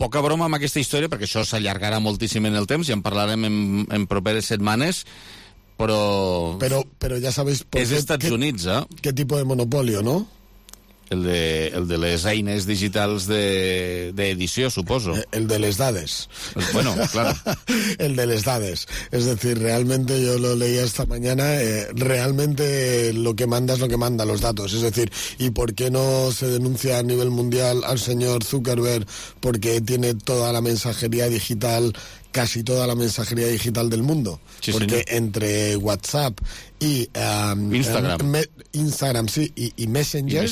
Poca broma amb aquesta història, perquè això s'allargarà moltíssim en el temps i en parlarem en properes setmanes, però ja sabéis és Estats Units, ¿Qué tipo de monopolio, no? El de les eines digitals d'edició, suposo. El de les dades. Bueno, claro. El de les dades. Es decir, realmente yo lo leía esta mañana, realmente lo que manda es lo que manda, los datos. Es decir, ¿y por qué no se denuncia a nivel mundial al señor Zuckerberg? Porque tiene toda la mensajería digital, casi toda la mensajería digital del mundo. Sí, porque señor, entre WhatsApp y Instagram, sí, y Messenger,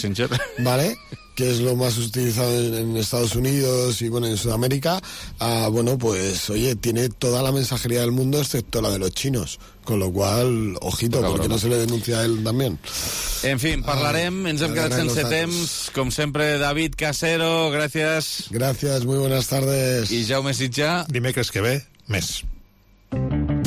¿vale? Que es lo más utilizado en Estados Unidos y bueno, en Sudamérica, bueno, pues oye, tiene toda la mensajería del mundo excepto la de los chinos, con lo cual, ojito, porque no se le denuncia a él también. En fin, parlarem, ens hem quedat sense temps, com sempre, David Casero, gràcies. Gràcies, muy buenas tardes. I Jaume Sitjà. Dimecres que ve, més.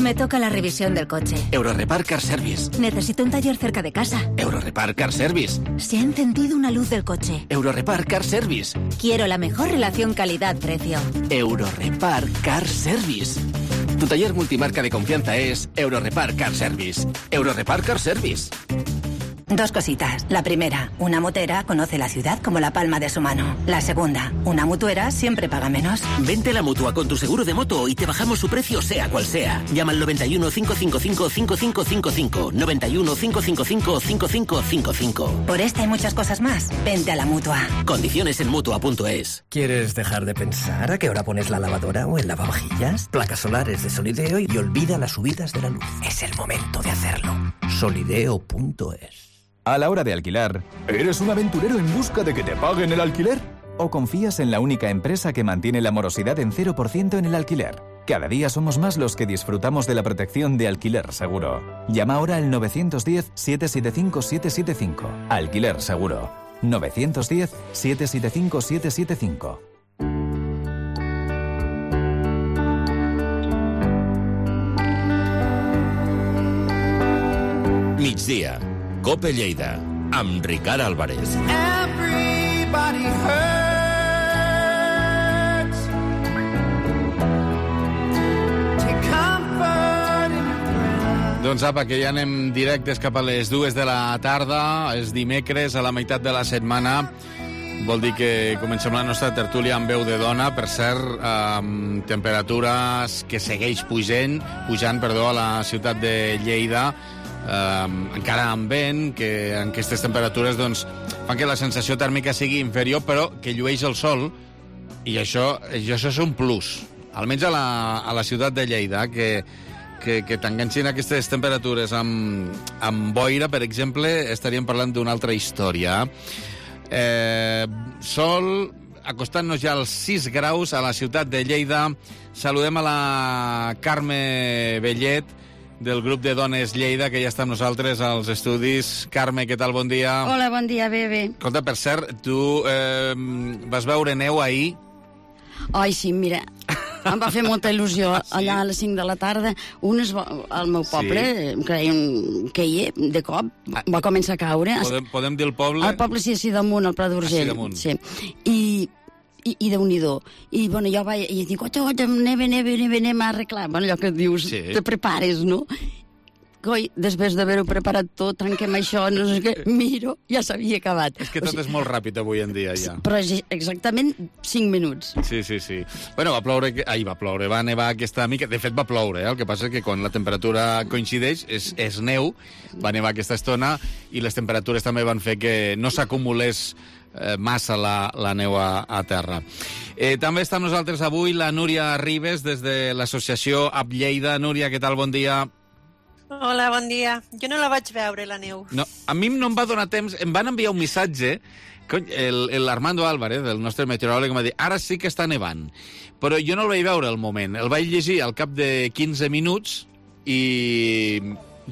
Me toca la revisión del coche. Eurorepar Car Service. Necesito un taller cerca de casa. Eurorepar Car Service. Se ha encendido una luz del coche. Eurorepar Car Service. Quiero la mejor relación calidad-precio. Eurorepar Car Service. Tu taller multimarca de confianza es Eurorepar Car Service. Eurorepar Car Service. Dos cositas. La primera, una motera conoce la ciudad como la palma de su mano. La segunda, una mutuera siempre paga menos. Vente a la Mutua con tu seguro de moto y te bajamos su precio sea cual sea. Llama al 91 555 5555. 91 555 5555. Por esta y muchas cosas más, vente a la Mutua. Condiciones en Mutua.es. ¿Quieres dejar de pensar a qué hora pones la lavadora o el lavavajillas? Placas solares de Solideo y olvida las subidas de la luz. Es el momento de hacerlo. Solideo.es. A la hora de alquilar, ¿eres un aventurero en busca de que te paguen el alquiler? ¿O confías en la única empresa que mantiene la morosidad en 0% en el alquiler? Cada día somos más los que disfrutamos de la protección de Alquiler Seguro. Llama ahora al 910-775-775. Alquiler Seguro. 910-775-775. Migdia. Cope Lleida, amb Ricard Álvarez. Everybody hurts. Take comfort in your breath. Doncs apa, que ja anem directes cap a les 2 de la tarda, és dimecres, a la meitat de la setmana. Vol dir que comencem la nostra tertúlia amb veu de dona, per cert, amb temperatures que segueix pujant, a la ciutat de Lleida, encara amb vent, que en aquestes temperatures doncs, fan que la sensació tèrmica sigui inferior, però que llueix el sol, i això és un plus, almenys a la ciutat de Lleida, que t'enganxin aquestes temperatures amb boira, per exemple, estaríem parlant d'una altra història. Sol, acostant-nos ja als 6 graus a la ciutat de Lleida. Saludem a la Carme Bellet, del grup de Dones Lleida, que ja està amb nosaltres als estudis. Carme, què tal? Bon dia. Hola, bon dia, bé. Escolta, per cert, tu vas veure neu ahir? Ai, sí, mira, em va fer molta il·lusió. Allà a les 5 de la tarda, al meu poble, queia, de cop, va començar a caure. Podem dir el poble? El poble, sí, damunt, al Pla d'Urgell. Sí. I Déu-n'hi-do. I, bueno, jo vaig... I dic, neve, anem a arreglar. Bueno, allò que dius, te prepares, no? Coi, després d'haver-ho preparat tot, trenquem això, no sé què, miro, ja s'havia acabat. És que tot és molt ràpid avui en dia, ja. Però exactament 5 minuts. Sí. Bueno, va nevar aquesta mica. De fet, va ploure, el que passa és que quan la temperatura coincideix, és neu, va nevar aquesta estona, i les temperatures també van fer que no s'acumulés massa la neu a terra. També està amb nosaltres avui la Núria Ribes, des de l'associació Up Lleida. Núria, què tal? Bon dia. Hola, bon dia. Jo no la vaig veure, la neu. No, a mi no em va donar temps. Em van enviar un missatge, l'Armando Álvarez, el nostre meteoròleg, em va dir, ara sí que està nevant. Però jo no el vaig veure al moment. El vaig llegir al cap de 15 minuts i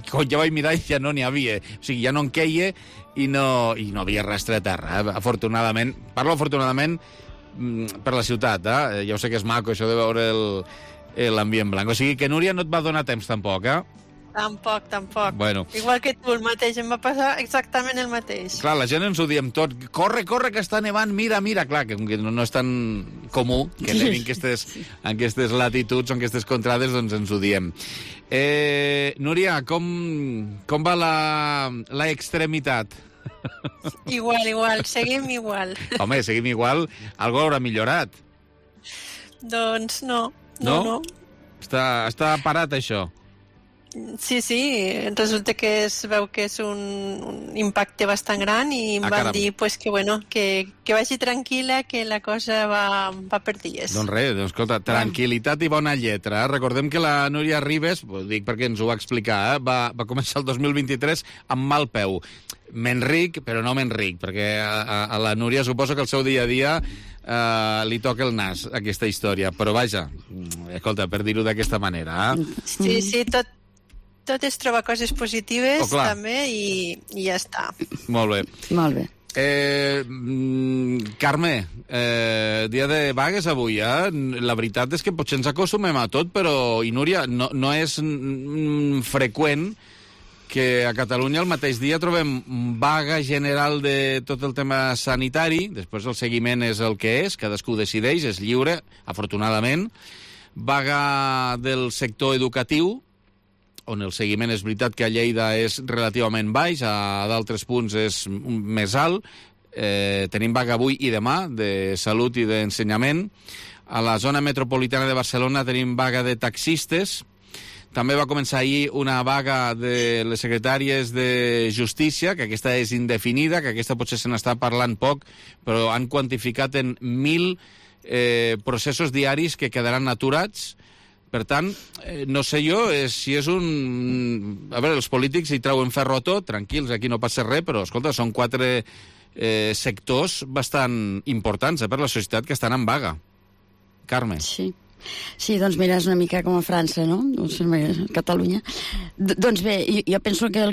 quan ja vaig mirar ja no n'hi havia. O sigui, ja no en queia i no havia rastre de terra. Afortunadament, parlo afortunadament per la ciutat, ja ho sé que és maco això de veure l'ambient blanc. O sigui que, Núria, no et va donar temps tampoc, Tampoc. Bueno. Igual que tu, el mateix. Em va passar exactament el mateix. Clar, la gent ens ho diem tot. Corre, que està nevant, mira. Clar, que no és tan comú que nevin en aquestes latituds o en aquestes contrades, doncs ens ho diem. Núria, com va la extremitat? Igual, seguim igual. Home, seguim igual. Algo haurà millorat. Doncs no. Està parat, això? Sí, resulta que es veu que és un impacte bastant gran i em van dir que vagi tranquil·la, que la cosa va per dies. Doncs res, escolta, tranquil·litat i bona lletra. Recordem que la Núria Ribes, ho dic perquè ens ho va explicar, va començar el 2023 amb mal peu. M'enric, però no m'enric, perquè a la Núria suposo que el seu dia a dia li toca el nas, aquesta història. Però vaja, escolta, per dir-ho d'aquesta manera. Sí, tot es troba coses positives també i ja està. Molt bé. Carme, dia de vagues avui, La veritat és que potser ens acostumem a tot, però, i Núria, no és freqüent que a Catalunya el mateix dia trobem vaga general de tot el tema sanitari, després el seguiment és el que és, cadascú decideix, és lliure, afortunadament, vaga del sector educatiu, on el seguiment és veritat que a Lleida és relativament baix, a d'altres punts és més alt. Tenim vaga avui i demà de salut i d'ensenyament. A la zona metropolitana de Barcelona tenim vaga de taxistes. També va començar ahir una vaga de les secretàries de Justícia, que aquesta és indefinida, que aquesta potser se n'està parlant poc, però han quantificat en 1.000 processos diaris que quedaran aturats. Per tant, no sé jo si és un... A veure, els polítics hi treuen ferro a tot, tranquils, aquí no passa res, però, escolta, són 4 sectors bastant importants per la societat que estan en vaga. Carme. Sí, doncs mira, és una mica com a França, no? Catalunya. Doncs bé, jo penso que el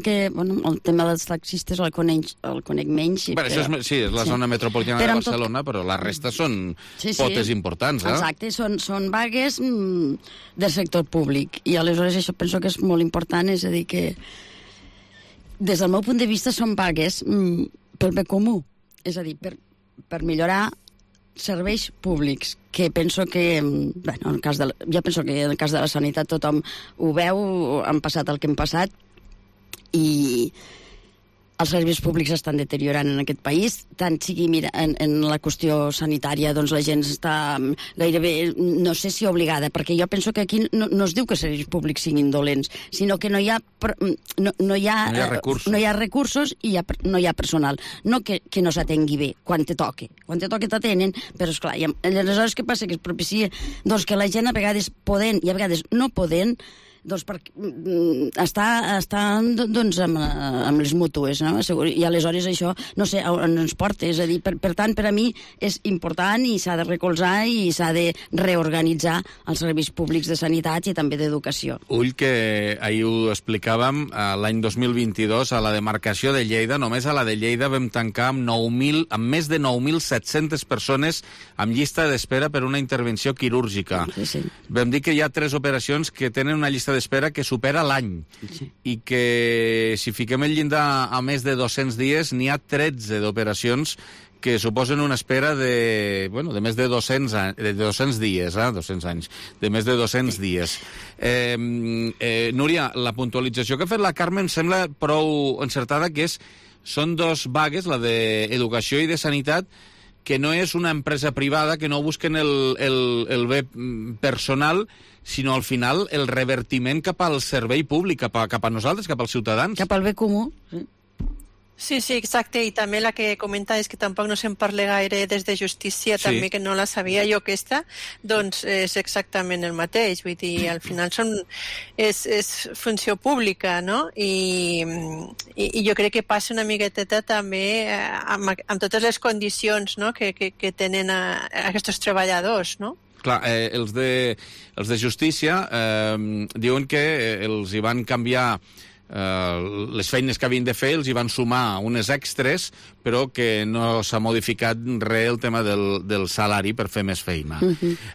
tema dels taxistes el conec menys. És la zona metropolitana de Barcelona, però la resta són potes importants, Exacte, són vagues del sector públic. I aleshores això penso que és molt important, és a dir que des del meu punt de vista són vagues pel bé comú, és a dir, per millorar serveis públics, que penso que, jo penso que en el cas de la sanitat tothom ho veu, han passat el que hem passat, i els serveis públics estan deteriorant en aquest país, tant sigui, mira, en la qüestió sanitària, doncs la gent està gairebé, no sé si obligada, perquè jo penso que aquí no es diu que els serveis públics siguin dolents, sinó que no hi ha recursos i no hi ha personal. No que no s'atengui bé, quan te toque t'atenen, però esclar, aleshores què passa? Que es propicia doncs, que la gent a vegades podent i a vegades no podent doncs estan doncs, amb les mútues, no? I aleshores això, no sé, on ens porta. És a dir, per tant, per a mi és important i s'ha de recolzar i s'ha de reorganitzar els serveis públics de sanitat i també d'educació. Ull, que ahir ho explicàvem, l'any 2022, a la demarcació de Lleida, només a la de Lleida vam tancar amb més de 9.700 persones amb llista d'espera per una intervenció quirúrgica. Sí. Vam dir que hi ha 3 operacions que tenen una llista d'espera que supera l'any i que si fiquem el llindar a més de 200 dies n'hi ha 13 d'operacions que suposen una espera de més de 200 dies, 200 anys, de més de 200 dies. Núria, la puntualització que ha fet la Carme em sembla prou encertada, que són 2 vagues, la d'Educació i de Sanitat, que no és una empresa privada, que no busquen el bé personal, sinó al final el revertiment cap al servei públic, cap a nosaltres, cap als ciutadans. Cap al bé comú, sí. Sí, exacte, i també la que comenta és que tampoc no se'n parla gaire des de justícia, Sí. també que no la sabia jo aquesta, doncs és exactament el mateix, vull dir, al final és funció pública, no? I jo crec que passa una miqueteta també amb totes les condicions, no?, que tenen aquests treballadors, no? Clar, els de justícia diuen que els hi van canviar les feines que havien de fer, els hi van sumar unes extres, però que no s'ha modificat res el tema del salari per fer més feina.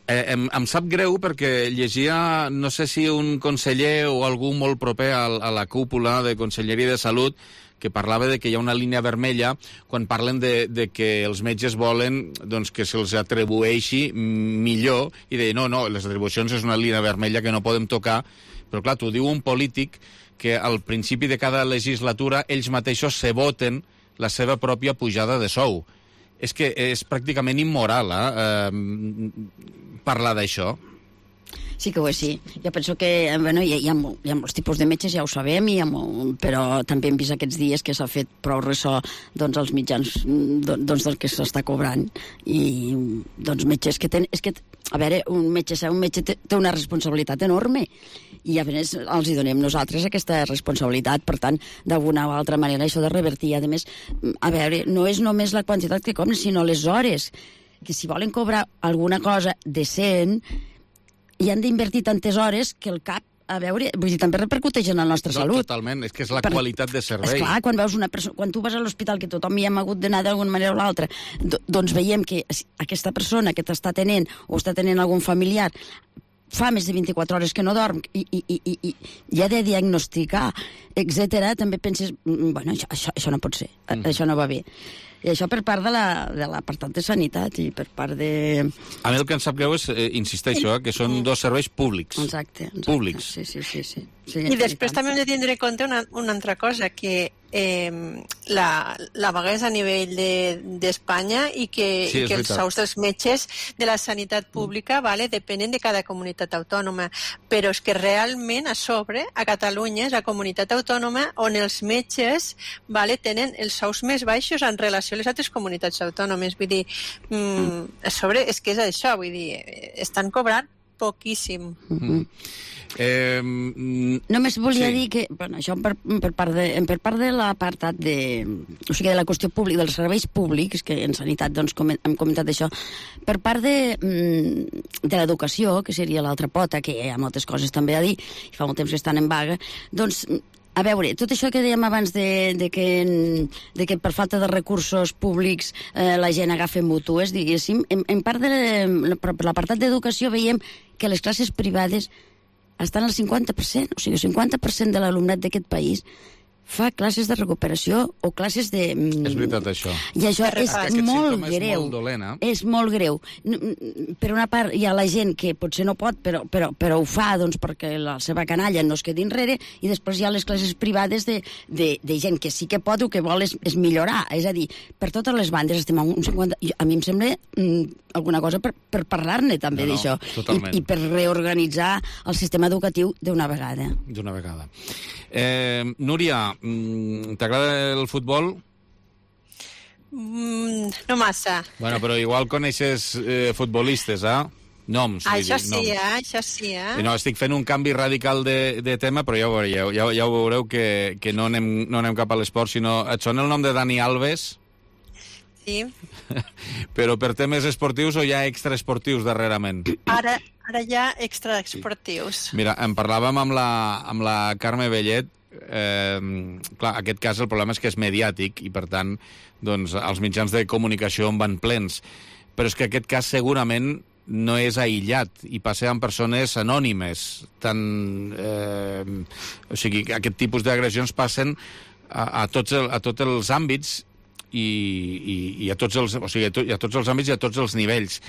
Em sap greu perquè llegia, no sé si un conseller o algú molt proper a la cúpula de Conselleria de Salut, que parlava de que hi ha una línia vermella quan parlen de que els metges volen doncs, que se'ls atribueixi millor, i deia, no, les atribucions és una línia vermella que no podem tocar, però clar, t'ho diu un polític que al principi de cada legislatura ells mateixos se voten la seva pròpia pujada de sou. És que és pràcticament immoral parlar d'això. Sí que ho és, sí. Jo penso que hi ha molts tipus de metges, ja ho sabem, però també hem vist aquests dies que s'ha fet prou ressò doncs, als mitjans del que s'està cobrant. I doncs metges que tenen... És que, a veure, un metge té una responsabilitat enorme i a més els hi donem nosaltres aquesta responsabilitat, per tant, d'alguna o altra manera això de revertir. A més, a veure, no és només la quantitat que cobren, sinó les hores, que si volen cobrar alguna cosa decent hi han d'invertir tantes hores que el cap, a veure, vull dir, també repercuteix en la nostra salut. Totalment, és que és la qualitat de servei. Esclar, quan veus una persona, quan tu vas a l'hospital, que tothom hi hem hagut d'anar d'alguna manera o l'altra, doncs veiem que aquesta persona que t'està tenint o està tenint algun familiar fa més de 24 hores que no dorm i ha de diagnosticar, etc. També penses, bueno, això no pot ser, això no va bé. I això per part de l'apartat de sanitat i per part de... A mi el que em sap greu és, insisteixo, que són 2 serveis públics. Exacte. Públics. Sí. I després també hem de tindre en compte una altra cosa, que la vaga és a nivell d'Espanya i que els sous dels metges de la sanitat pública depenen de cada comunitat autònoma, però és que realment a sobre, a Catalunya, és la comunitat autònoma on els metges tenen els sous més baixos en relació a les altres comunitats autònomes. Vull dir, a sobre és que és això, vull dir, estan cobrant poquíssim. Només volia dir que, bueno, això per part de l'apartat o sigui, de la qüestió pública, dels serveis públics, que en sanitat doncs, hem comentat això, per part de l'educació, que seria l'altra pota, que hi ha moltes coses també a dir, i fa molt temps que estan en vaga, doncs, a veure, tot això que dèiem abans de que per falta de recursos públics la gent agafa mútues, diguéssim, en part per l'apartat d'educació veiem que les classes privades estan al 50%, o sigui, el 50% de l'alumnat d'aquest país fa classes de recuperació o classes de... És veritat, això. I això és molt greu. És molt greu. Per una part, hi ha la gent que potser no pot, però ho fa doncs, perquè la seva canalla no es quedi enrere, i després hi ha les classes privades de gent que sí que pot o que vol és millorar. És a dir, per totes les bandes estem a un 50... A mi em sembla alguna cosa per parlar-ne també d'això. I per reorganitzar el sistema educatiu d'una vegada. Núria, t'agrada el futbol? No massa. Bueno, però igual coneixes futbolistes, noms. Això sí. No, estic fent un canvi radical de tema, però ja ho veureu que no anem cap a l'esport, sinó... Et sona el nom de Dani Alves? Sí. Però per temes esportius o ja extraesportius darrerament? Ara ja extraesportius. Mira, en parlàvem amb la Carme Bellet. Clar, aquest cas el problema és que és mediàtic i, per tant, doncs, els mitjans de comunicació en van plens. Però és que aquest cas segurament no és aïllat i passa amb persones anònimes. O sigui, aquest tipus d'agressions passen a tots els àmbits i a tots els àmbits i a tots els nivells.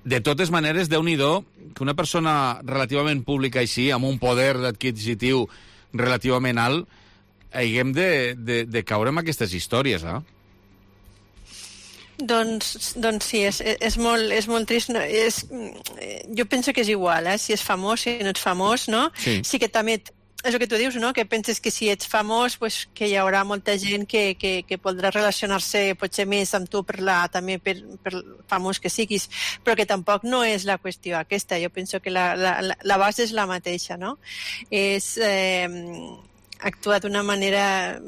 De totes maneres, Déu-n'hi-do que una persona relativament pública així, amb un poder adquisitiu relativament alt, haguem de caure en aquestes històries, Doncs sí, és molt trist. No? Jo penso que és igual, si és famós, si no ets famós, no? Sí que també... És el que tu dius, no? Que penses que si ets famós, pues, que hi haurà molta gent que podrà relacionar-se potser més amb tu també per famós que siguis, però que tampoc no és la qüestió aquesta. Jo penso que la base és la mateixa, no? És actuar d'una manera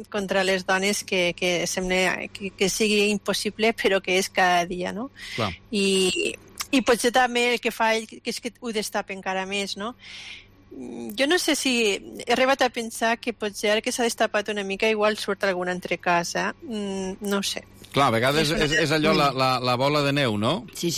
contra les dones que sembla que sigui impossible, però que és cada dia, no? Clar. I potser també el que fa ell és que ho destapa encara més, no? Jo no sé si he arribat a pensar que potser ara que s'ha destapat una mica igual surt alguna altra casa, no sé. Clar, a vegades és allò la bola de neu, no? Sí,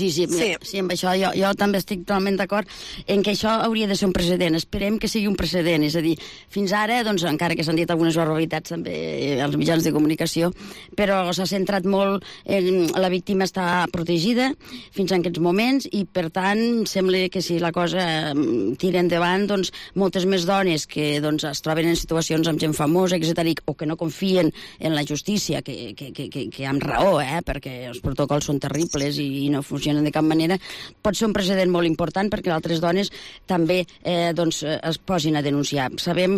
amb això jo també estic totalment d'acord en que això hauria de ser un precedent. Esperem que sigui un precedent, és a dir, fins ara, doncs, encara que s'han dit algunes barbaritats també als mitjans de comunicació, però s'ha centrat molt en la víctima està protegida fins a aquests moments i, per tant, sembla que si la cosa tira endavant, doncs, moltes més dones que doncs, es troben en situacions amb gent famosa, etc., o que no confien en la justícia, que amb raó, perquè els protocols són terribles i no funcionen de cap manera, pot ser un precedent molt important perquè altres dones també es posin a denunciar. Sabem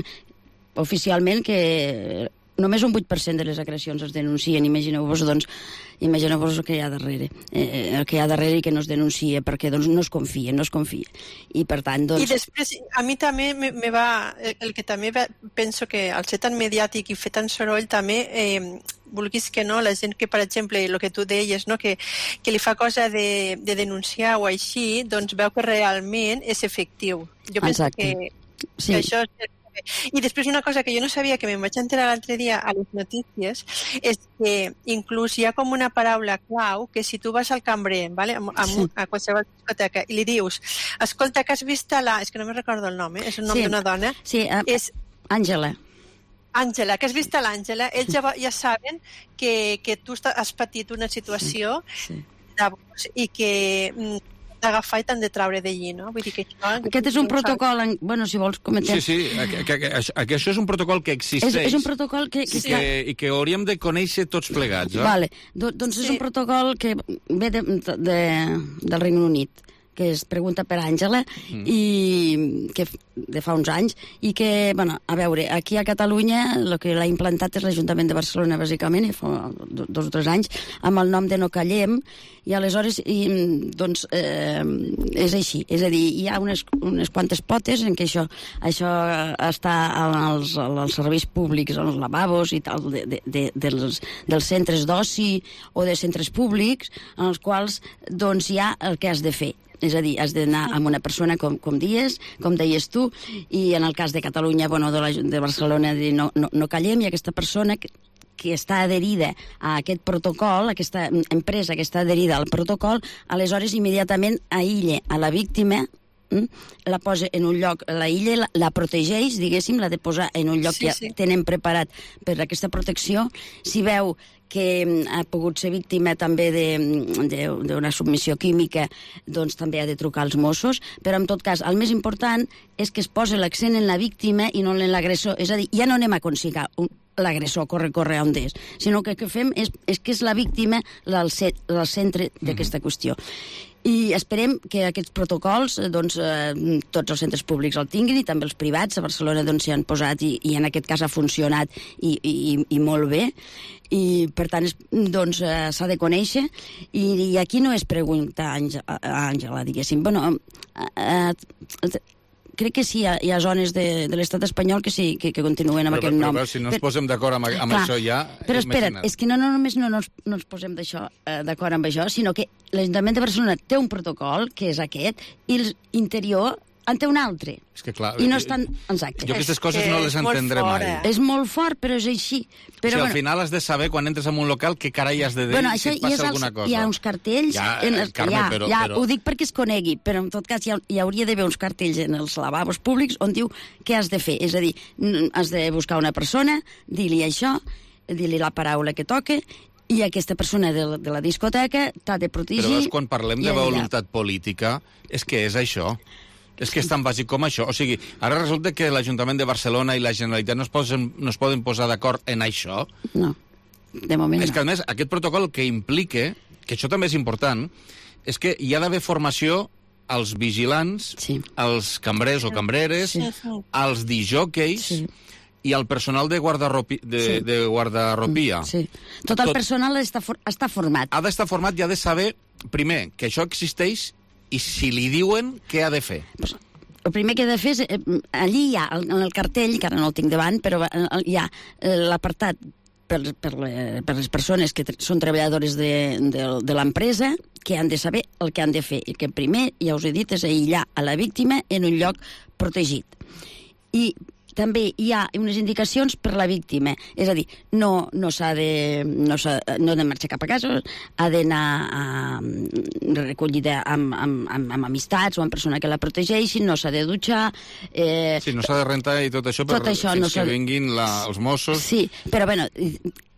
oficialment que només un 8% de les agressions es denuncien. Imagineu-vos el que hi ha darrere. I que no es denuncia perquè no es confia. I per tant, I després, a mi també me va... El que també penso que al ser tan mediàtic i fer tant soroll també... vulguis que no, la gent que, per exemple, el que tu deies, no? que li fa cosa de denunciar o així, doncs veu que realment és efectiu. Jo penso que això és... I després una cosa que jo no sabia, que me'n vaig enterar l'altre dia a les notícies, és que inclús hi ha com una paraula clau que si tu vas al cambrer, ¿vale? A qualsevol discoteca, i li dius, escolta, que has vist és que no me recordo el nom, és el nom d'una dona. Sí, és Àngela, que has vist l'Àngela, ells ja saben que tu has patit una situació d'abús i que d'agafar i t'han de traure d'allí, no? Vull dir que això... Aquest és un protocol... Bueno, si vols comentar... Sí, que això és un protocol que existeix. És un protocol que... I que hauríem de conèixer tots plegats, Vale, doncs és un protocol que ve del Regne Unit, que es pregunta per Àngela, i que de fa uns anys, i que, bueno, a veure, aquí a Catalunya el que l'ha implantat és l'Ajuntament de Barcelona, bàsicament, fa 2 o 3 anys, amb el nom de No Callem, i aleshores, doncs, és així. És a dir, hi ha unes quantes potes en què això està als serveis públics, als lavabos i tal, dels centres d'oci o de centres públics, en els quals, doncs, hi ha el que has de fer. És a dir, has d'anar amb una persona com deies tu, i en el cas de Catalunya, bueno, de Barcelona, no callem, i aquesta persona que està adherida a aquest protocol, aquesta empresa que està adherida al protocol, aleshores immediatament aïlla a la víctima, la posa en un lloc, la protegeix, diguéssim, la de posar en un lloc que ja tenen preparat per aquesta protecció. Si veu que ha pogut ser víctima també d'una submissió química, doncs també ha de trucar als Mossos, però en tot cas el més important és que es posa l'accent en la víctima i no en l'agressor. És a dir, ja no anem a aconseguir l'agressor corre on és, sinó que el que fem és que és la víctima el centre d'aquesta qüestió. I esperem que aquests protocols doncs, tots els centres públics el tinguin i també els privats. A Barcelona doncs, s'hi han posat i en aquest cas ha funcionat i molt bé. I per tant doncs, s'ha de conèixer i aquí no és pregunta Àngela, diguéssim. Bueno, crec que sí, hi ha zones de l'estat espanyol que sí, que continuen amb aquest nom. Però si no ens posem d'acord amb això ja... Però espera't, és que no només no ens posem d'acord amb això, sinó que l'Ajuntament de Barcelona té un protocol, que és aquest, i l'interior en té un altre. És que clar... I no estan... Exacte. Jo aquestes coses no les entendré mai. És molt fort, però és així. Però, al final has de saber, quan entres en un local, què carai has de dir si et passa alguna cosa. Hi ha uns cartells... Ho dic perquè es conegui, però en tot cas hi hauria d'haver uns cartells en els lavabos públics on diu què has de fer. És a dir, has de buscar una persona, dir-li això, dir-li la paraula que toca, i aquesta persona de la discoteca t'ha de protegir... Però veus, quan parlem de voluntat política, és que és això. És que és tan bàsic com això. O sigui, ara resulta que l'Ajuntament de Barcelona i la Generalitat no es poden posar d'acord en això. No, de moment És que, a més, aquest protocol que implica, que això també és important, és que hi ha d'haver formació als vigilants, als cambrers o cambreres, als disjòqueis i al personal de guardarropia. Sí. Tot el personal està format. Ha d'estar format i ha de saber, primer, que això existeix i si li diuen, què ha de fer? El primer que ha de fer és... Allí hi ha, en el cartell, que ara no el tinc davant, però hi ha l'apartat per les persones que són treballadores de l'empresa, que han de saber el que han de fer. I que primer, ja us he dit, és aïllar a la víctima en un lloc protegit. I també hi ha unes indicacions per la víctima, és a dir, no ha de marxar cap a casa, ha d'anar recollida amb amistats o amb persona que la protegeixin, no s'ha de dutxar... Sí, no s'ha de rentar i tot això fins que vinguin els Mossos... Sí, però bueno...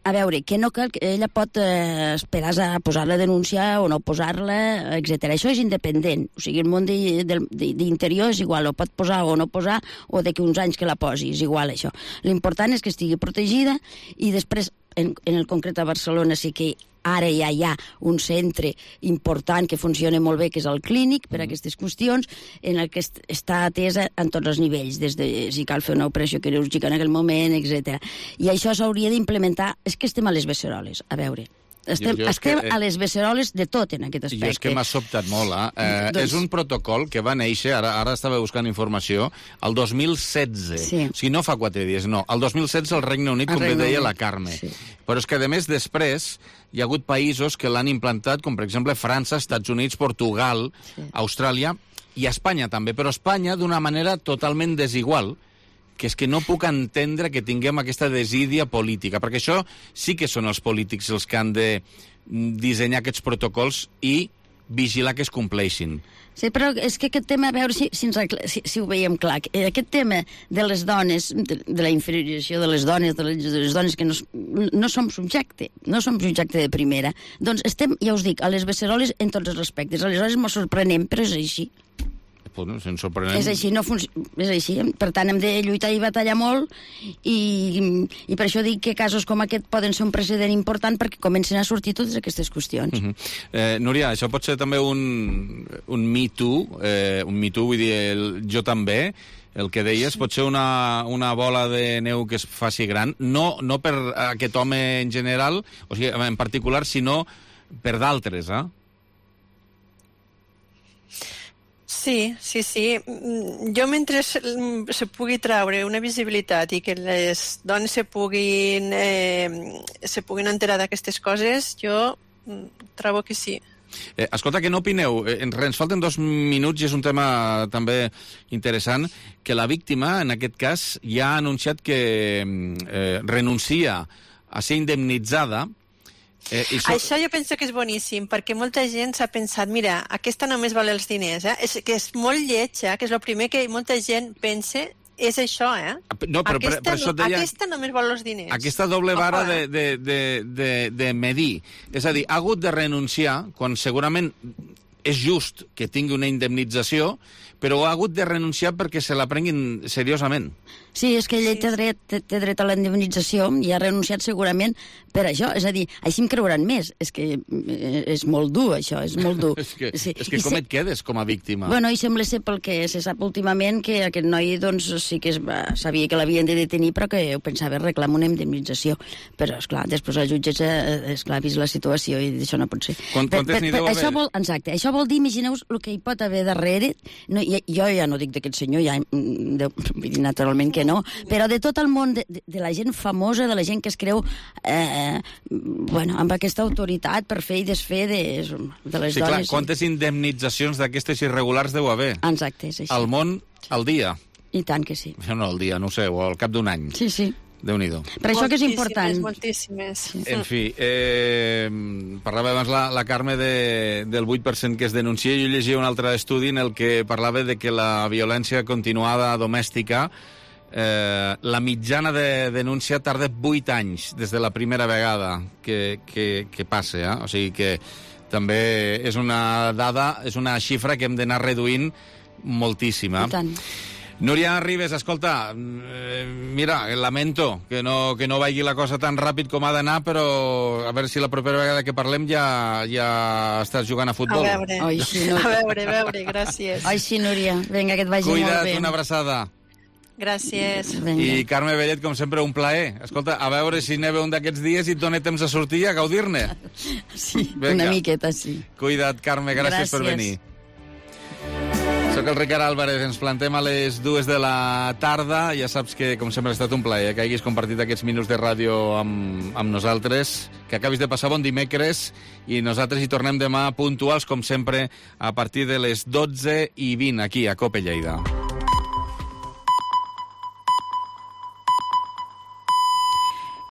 A veure, que no cal, ella pot esperar a posar la denúncia o no posar-la, etc. Això és independent. O sigui, el món d'interior és igual, o pot posar o no posar, o d'aquí uns anys que la posi, és igual això. L'important és que estigui protegida i després, en el concret a Barcelona, sí que ara ja hi ha un centre important que funciona molt bé, que és el clínic, per a aquestes qüestions, en el que està atesa en tots els nivells, des de si cal fer una operació quirúrgica en aquell moment, etc. I això s'hauria d'implementar... És que estem a les beceroles, a veure... Estem a les beceroles de tot en aquest aspecte. Jo és que m'ha sobtat molt, És un protocol que va néixer, ara estava buscant informació, el 2016. Sí. O sigui, no fa 4 dies, no. El 2016 al Regne Unit, com bé deia la Carme. Sí. Però és que, a més, després hi ha hagut països que l'han implantat, com per exemple França, Estats Units, Portugal, Austràlia i Espanya també, però Espanya d'una manera totalment desigual, que és que no puc entendre que tinguem aquesta desídia política, perquè això sí que són els polítics els que han de dissenyar aquests protocols i vigilar que es compleixin. Sí, però és que aquest tema, a veure si ho veiem clar, aquest tema de les dones, de la inferiorització de les dones que no som subjecte de primera, doncs estem, ja us dic, a les beceroles en tots els aspectes. Aleshores ens sorprenem, però és així. Ens sorprenem. És així, és així. Per tant, hem de lluitar i batallar molt i per això dic que casos com aquest poden ser un precedent important perquè comencen a sortir totes aquestes qüestions. Núria, això pot ser també un Me Too, vull dir, jo també, el que deies, pot ser una bola de neu que es faci gran, no per aquest home en general, o sigui, en particular, sinó per d'altres, Sí. Jo, mentre se pugui treure una visibilitat i que les dones se puguin enterar d'aquestes coses, jo trobo que sí. Escolta, què n'opineu? Ens falten 2 minuts i és un tema també interessant, que la víctima, en aquest cas, ja ha anunciat que renuncia a ser indemnitzada. Això jo penso que és boníssim, perquè molta gent s'ha pensat, mira, aquesta només val els diners, és que és molt lleig, que és el primer que molta gent pensa, és això, No, però aquesta només val els diners. Aquesta doble vara de medir. És a dir, ha hagut de renunciar, quan segurament és just que tingui una indemnització, però ha hagut de renunciar perquè se la prenguin seriosament. Sí, és que ell té dret a la indemnització i ha renunciat segurament per això. És a dir, així em creuran més. És que és molt dur, això, és molt dur. és que com et quedes com a víctima? Bueno, i sembla ser pel que se sap últimament que aquest noi doncs, sí que sabia que l'havien de detenir, però que ho pensava reclamar una indemnització. Però, esclar, després el jutge ha vist la situació i això no pot ser. Quantes n'hi deu haver? Exacte, això vol dir, imagineu-vos el que hi pot haver darrere. No, jo ja no dic d'aquest senyor, ja, naturalment que no, però de tot el món, de la gent famosa, de la gent que es creu amb aquesta autoritat per fer i desfer de les dones. Sí, clar, quantes indemnitzacions d'aquestes irregulars deu haver? Exacte, és així. Al món, al dia? I tant que sí. No, al dia, no ho sé, o al cap d'un any. Sí, sí. Déu-n'hi-do. Per això que és important. Moltíssimes. En fi, parlava abans la Carme del 8% que es denuncia. Jo llegia un altre estudi en el que parlava de que la violència continuada domèstica, la mitjana de denúncia tarda 8 anys des de la primera vegada que passa. O sigui que també és una dada, és una xifra que hem d'anar reduint moltíssima. I tant. Núria Ribes, escolta, mira, lamento que no vagi la cosa tan ràpid com ha d'anar, però a veure si la propera vegada que parlem ja estàs jugant a futbol. A veure, Ai, sí, Núria. a veure, gràcies. Ai, sí, Núria, vinga, que et vagi molt bé. Cuida't, una abraçada. Gràcies. I Carme Bellet, com sempre, un plaer. Escolta, a veure si neva un d'aquests dies i et dona temps a sortir i a gaudir-ne. Sí, una miqueta, sí. Cuida't, Carme, gràcies per venir. Soc el Ricard Álvarez, ens plantem a les 2 de la tarda. Ja saps que, com sempre, ha estat un plaer que hagis compartit aquests minuts de ràdio amb nosaltres, que acabis de passar bon dimecres, i nosaltres hi tornem demà puntuals, com sempre, a partir de les 12:20, aquí, a COPE Lleida.